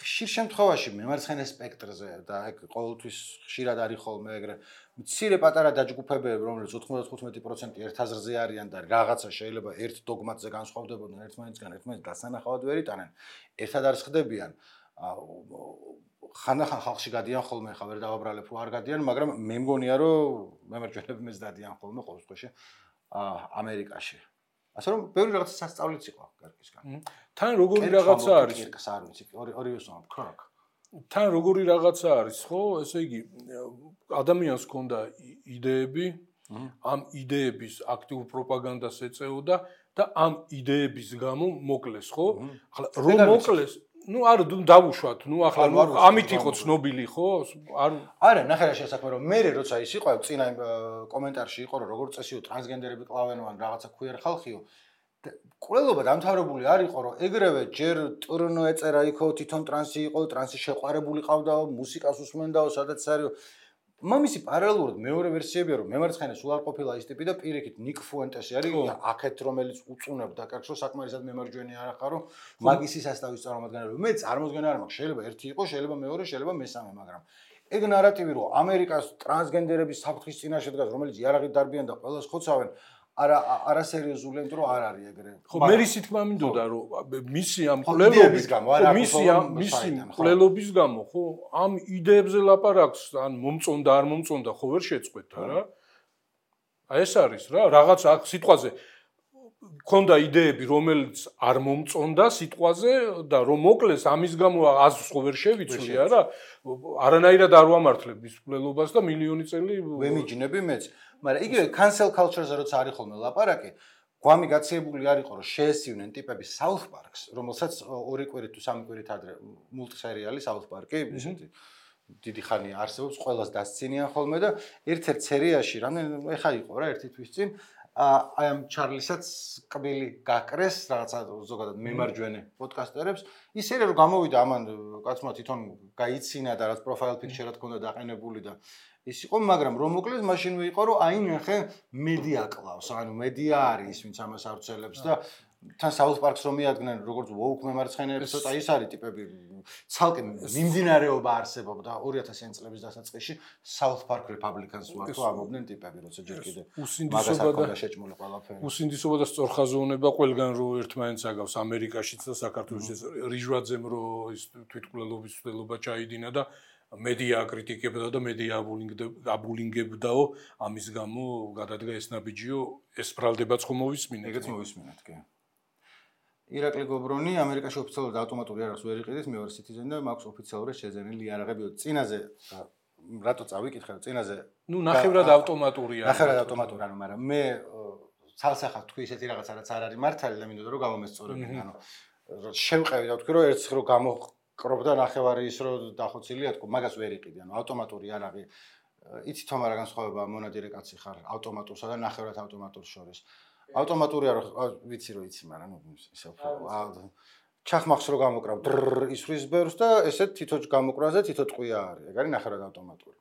ხშირ შემთხვევაში მემარცხენე სპექტრზე და ეგ ყოველთვის ხშირად არის ხოლმე ეგრე მცირე პატარა დაჯგუფებები რომელიც ოთხმოცდახუთმეტი პროცენტი ერთ აზრზე არიან და რაღაცა შეიძლება ერთ დოგმატზე განსხვავდებოდნენ ერთმანეთისგან ერთმანეთს დასანახავად ვერ იტანენ ერთად არ ხდებიან ხანახან ხალხში გადიან ხოლმე ხა ვერ დავაბრალებ რომ არ გადიან მაგრამ მე მგონია რომ მემარჯვენეები მეც დადიან ხოლმე ყოველ შემთხვევაში ამერიკაში ასე რომ ბევრი რაღაცა სასწავლიც იყო გარკვეულწილად. თან როგორი რაღაცა არის? არ ვიცი, ორი ორივეს ვამბობ, ქრაკ. თან როგორი რაღაცა არის, ხო? ესე იგი ადამიანს ჰქონდა იდეები, ამ იდეების აქტიურ პროპაგანდას ეწეოდა და ამ იდეების გამო მოკლეს, ხო? ახლა რომ მოკლეს ну არ დავუშვათ ну ახლა ამით იყო ცნობილი ხო არ არა ნახე რა შესაძლოა რომ მე როცა ის იყო წინა კომენტარში იყო რომ როგორ წესიო ტრანსგენდერები კლავენო ან რაღაცა ქვიერ ხალხიო კვლელობა დამთავრებული არ იყო რომ ეგრევე ჯერ ტრნო ეწერა იქო თვითონ ტრანსი იყო ტრანსი შეყვარებული ყავდაო მუსიკას უსმენდაო სადაც არისო მამისი პარალელურად მეორე ვერსიებია რომ მემარცხენე სულ არ ყოფილა ის ტიპი და პირიქით ნიკ ფუენტესი არის აქეთ რომელიც უწუნებდა კაცო საკმარისად მემარჯვენე არ ახარო მაგისი სასტავის წარმომადგენელი რომ მე წარმოდგენა არ მაქვს შეიძლება ერთი იყო შეიძლება მეორე შეიძლება მესამე მაგრამ ეგ ნარატივი რომ ამერიკას ტრანსგენდერების საფრთხის წინაშე დგას რომელიც იარაღით დარბიან და ყველას ხოცავენ არა არა სერიოზულია იმიტომ რომ არ არის ეგრე ხო მე ისიც თქმა მინდოდა რომ მისი ამ კვლელობის გამო არა მისი ამ მისი კვლელობის გამო ხო ამ იდეებზე ლაპარაკს ან მომწონდა არ მომწონდა ხო ვერ შეწყვეტ რა აი ეს არის რა რაღაც აქ სიტყვაზე ქონდა იდეები რომელიც არ მომწონდა სიტყვაზე და რომ მოკლეს ამის გამო აზრს ხო ვერ შევიცვლი არა არანაირად არ ვამართლებ მის კვლელობას და მილიონი წელი ვემიჯნები მეც მაგრამ იგივე cancel culture-ზე როცა არის ხოლმე ლაპარაკი, გვამი გაციებული არ იყო, რომ შეესივნენ ტიპები South Park-ს, რომელსაც ორი კვირით თუ სამი კვირით ადრე მულტსერიალი South Park-ი, ისეთი დიდი ხანი არსებობს, ყველას დასცინიან ხოლმე და ერთ-ერთ სერიაში, რამდენი ეხა იყო რა ერთი თვის წინ, აი ამ ჩარლისაც კბილი გაკრეს რაღაცა ზოგადად მემარჯვენე პოდკასტერებს. ის სერია რომ გამოვიდა ამან კაცმა თვითონ გაიცინა და რაც პროფაილ პიქჩერად ჰქონდა დაყენებული და ის იყო, მაგრამ რომ მოკლედ მაშინვე იყო რომ აი ნახე მედია კლავს, ანუ მედია არის ვინც ამას ავრცელებს და თან South Park-ს რომ მიადგნენ როგორც woke მემარცხენეებს, ცოტა ის არის ტიპები ცალკე მიმდინარეობა არსებობდა ორი ათასიანი წლების დასაწყისში South Park Republicans ვარ თუ ამობდნენ ტიპები, როცა ჯერ კიდე უსინდისობა და შეჭმული ყველაფერი. უსინდისობა და სწორხაზოვნება ყველგან რო ერთმანეთს აგავს ამერიკაშიც და საქართველოშიც რიჟვაძემ რო ის თვითმკვლელობის ცდელობა ჩაიდინა და მედია აკრიტიკებდა და მედია აბულინგებდაო ამის გამო გადადგა ეს ნაბიჯიო ეს ბრალდებაც ხომ მოვისმინეთ. ეგეც მოვისმინეთ, კი. ირაკლი გობრონი ამერიკაში ოფიციალურად ავტომატური არახს ვერ იყიდეს, მე ვარ citizen და მაქვს ოფიციალურად შეძენილი იარაღები. წინაზე რატო წავიკითხე, წინაზე ნუ ნახევრად ავტომატურია. ნახევრად ავტომატური, ანუ მაგრამ მე ცალსახად თქვი ესეთი რაღაცა რაც არ არის მართალი და მინდოდა რომ გამომესწორებინა, ანუ შევყევი და ვთქვი რომ ერთს რო გამოყრობდა ნახევარი ის რო დახოცილია თქო, მაგას ვერ იყიდი, ანუ ავტომატური იარაღი. იცით თომ არა განსხვავება მონადირე კაცი ხარ ავტომატურსა და ნახევრად ავტომატურს შორის. ავტომატური არ ვიცი რომ იცი, მაგრამ ნუ ისე ჩახმახს რო გამოკრავ ისვრის ბერს და ესეთ თითო გამოკრაზე თითო ტყვია არის. ეგ არის ნახევრად ავტომატური.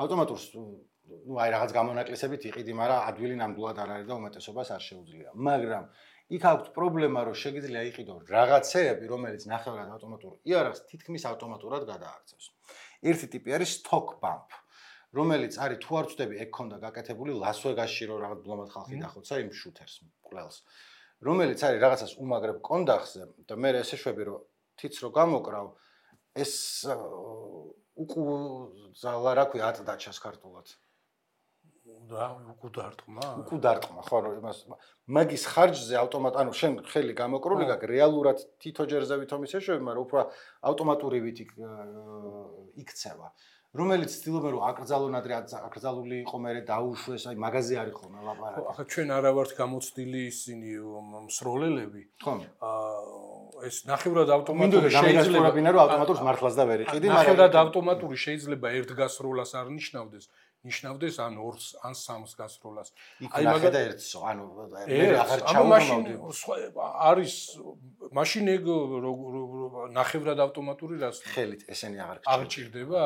ავტომატურს ნუ აი რაღაც გამონაკლისებით იყიდი, მაგრამ ადვილი ნამდვილად არ არის და უმეტესობას არ შეუძლია. მაგრამ იქ აქვს პრობლემა, რომ შეგიძლია იყიდო რაღაცეები, რომელიც ნახევრად ავტომატური იარაღს თითქმის ავტომატურად გადააქცევს. ერთი ტიპი არის stock bump, რომელიც არის თუ არ ვწდები, ეგ ქონდა გაკეთებული ლას-ვეგასში, რომ რაღაც ბლომად ხალხი დახოცა იმ შუთერს მკვლელს. რომელიც არის რაღაცას უმაგრებ კონდახზე და მე ესე შვები, რომ თიც რო გამოკრავ, ეს უკუძალა რა ქვია ატდაჩას ქართულად. და უკუდარტყმა. უკუდარტყმა, ხო, რომ იმას მაგის ხარჯზე ავტომატ, ანუ შენ ხელი გამოკრული გაქვს, რეალურად თითო ჯერზე ვითომ ისე შვები, მაგრამ უფრო ავტომატურივით იქცევა. რომელიც ცდილობენ რომ აკრძალონ ადრე აკრძალული იყო მერე დაუშვეს, აი მაგაზე არის ხოლმე ლაპარაკი. ახლა ჩვენ არა ვართ გამოცდილი ისინი მსროლელები. ხო. აა ეს ნახევრად ავტომატური შეიძლება რომ ავტომატურს მართლაც და ვერ იყიდი, მაგრამ ნახევრად ავტომატური შეიძლება ერთ გასროლას არ ნიშნავდეს. ნიშნავდეს ან ორს ან სამს გასროლას. აი მაგა და ერთსო, ანუ მე აღარ ჩავმოვდი. არის მაშინ ეგ ნახევრად ავტომატური რას ხელით ესენი აღარ აღჭირდება?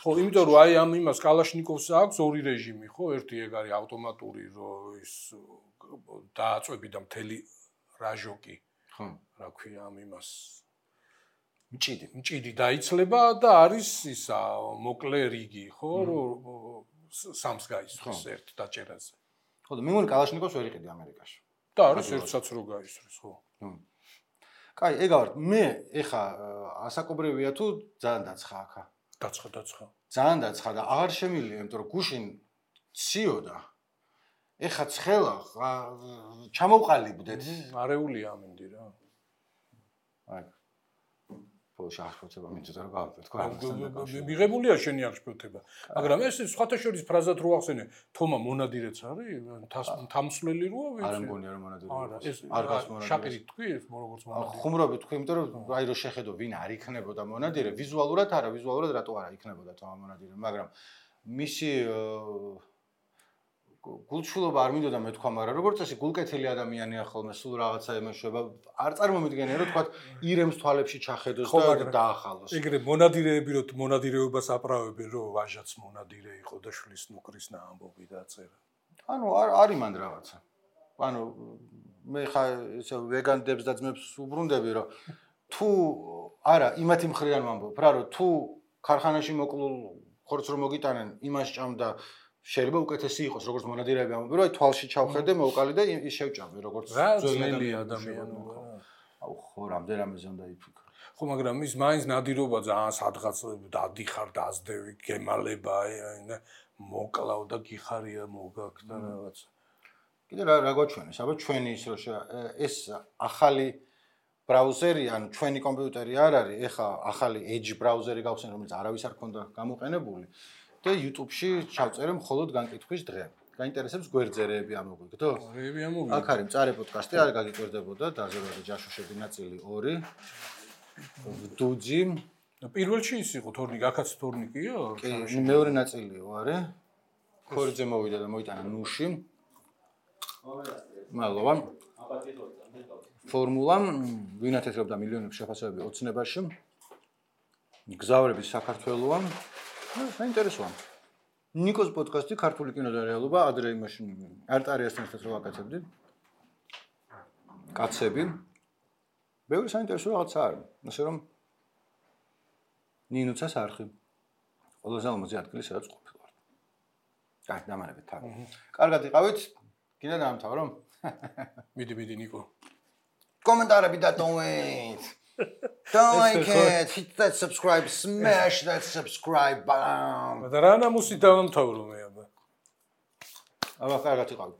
ხო, იმიტომ რომ აი ამ იმას კალაშნიკოვს აქვს ორი რეჟიმი, ხო? ერთი ეგ არის ავტომატური, რომ ის დააწვევი და მთელი რაჟოკი. ხო. რა ქვია ამ იმას მჭიდი. მჭიდი დაიცლება და არის ისა მოკლე რიგი, ხო? რომ სამს გაისვრის ერთ დაჭერაზე. ხო და მე მგონი კალაშნიკოვს ვერ იყიდი ამერიკაში. და არის ერთსაც რო გაისვრის, ხო? კაი, ეგავართ, მე ეხა ასაკობრივია თუ ძალიან დაცხა აქა. დაცხა, დაცხა. ძალიან დაცხა და აღარ შემილია, იმიტომ რომ გუშინ ციოდა. ეხა ცხელა ჩამოვყალიბდეთ. არეულია ამინდი რა. აი ბოლოს აღშფოთება მინდოდა რომ გავაკეთო, თქვა. მიღებულია შენი აღშფოთება. მაგრამ ეს სხვათა შორის ფრაზად რო ახსენე, თომა მონადირეც არის, თამსვლელი როა ვიცი. არ მგონია რომ მონადირე. არ გას მონადირე. შაკირი თქვი, როგორც მონადირე. ხუმრობი თქვი, იმიტომ რომ აი რო შეხედო ვინ არ იქნებოდა მონადირე, ვიზუალურად არა, ვიზუალურად რატო არა იქნებოდა თომა მონადირე, მაგრამ მისი გულჩულობა არ მინდოდა მე თქვა, მაგრამ როგორც წესი გულკეთილი ადამიანია ხოლმე, სულ რაღაცა ემეშვება. არ წარმომიდგენია რომ თქვა ირემს თვალებში ჩახედოს და დაახალოს. ეგრე მონადირეები რო მონადირეობას აპრავებენ, რომ ვაჟაც მონადირე იყო და შლის ნუკრის ამბობი დაწერა. ანუ არ არის მან რაღაცა. ანუ მე ხა ესე ვეგანდებს და ძმებს უბრუნდები, რომ თუ არა იმათი მხრიდან ვამბობ რა, რომ თუ ქარხანაში მოკლულ ხორცს რომ მოგიტანენ, იმას ჭამდა შეიძლება უკეთესი იყოს, როგორც მონადირეები ამბობენ, რომ აი თვალში ჩავხედე, მოვყალი და ის შევჭამე, როგორც ძველი ადამიანი. აუ ხო, რამდენამეზე უნდა იფიქრო. ხო, მაგრამ ის მაინც ნადირობა ძალიან სადღაც დადიხარ, დაძდევი, გემალება, აი მოკლავ და გიხარია მოგაქ და რაღაც. კიდე რა რა გვაჩვენეს? აბა ჩვენი ის რო ეს ახალი ბრაუზერი, ანუ ჩვენი კომპიუტერი არ არის, ეხა ახალი Edge ბრაუზერი გავხსენ, რომელიც არავის არ ქონდა გამოყენებული. და YouTube-ში ჩავწერე მხოლოდ განკითხვის დღე. გაინტერესებს გვერდზერეები ამოგვიგდო? რეები ამოგვიგდო. აქ არის მწარე პოდკასტი, არ გაგიკვირდებოდა დაზერვადა ჯაშუშები ნაწილი ორი. დუძი. პირველში ის იყო თორნიკი, აქაც თორნიკიო? კი, მეორე ნაწილიო, არა? ქორიძე მოვიდა და მოიტანა ნუში. მადლობა. ფორმულა ვინათეთრობდა მილიონების შეფასებები ოცნებაში. გზავრები საქართველოა. საინტერესოა. ნიკოს პოდკასტი ქართული კინო და რეალობა ადრე იმაში არტარიასთან ერთად რო ვაკეთებდით. კაცები. ბევრი საინტერესო რაღაცა არის. ასე რომ ნინუცას არხი. ყველაზე ლამაზი ადგილი სადაც ყოფილვარ. კაი, დამანებით თან. კარგად იყავით? კიდე დაამთავრო? მიდი, მიდი ნიკო. კომენტარები დატოვეთ. Don't like it, hit that subscribe, smash that subscribe button. და რა ნამუსით დავამთავრო მე აბა. აბა კარგად იყავით.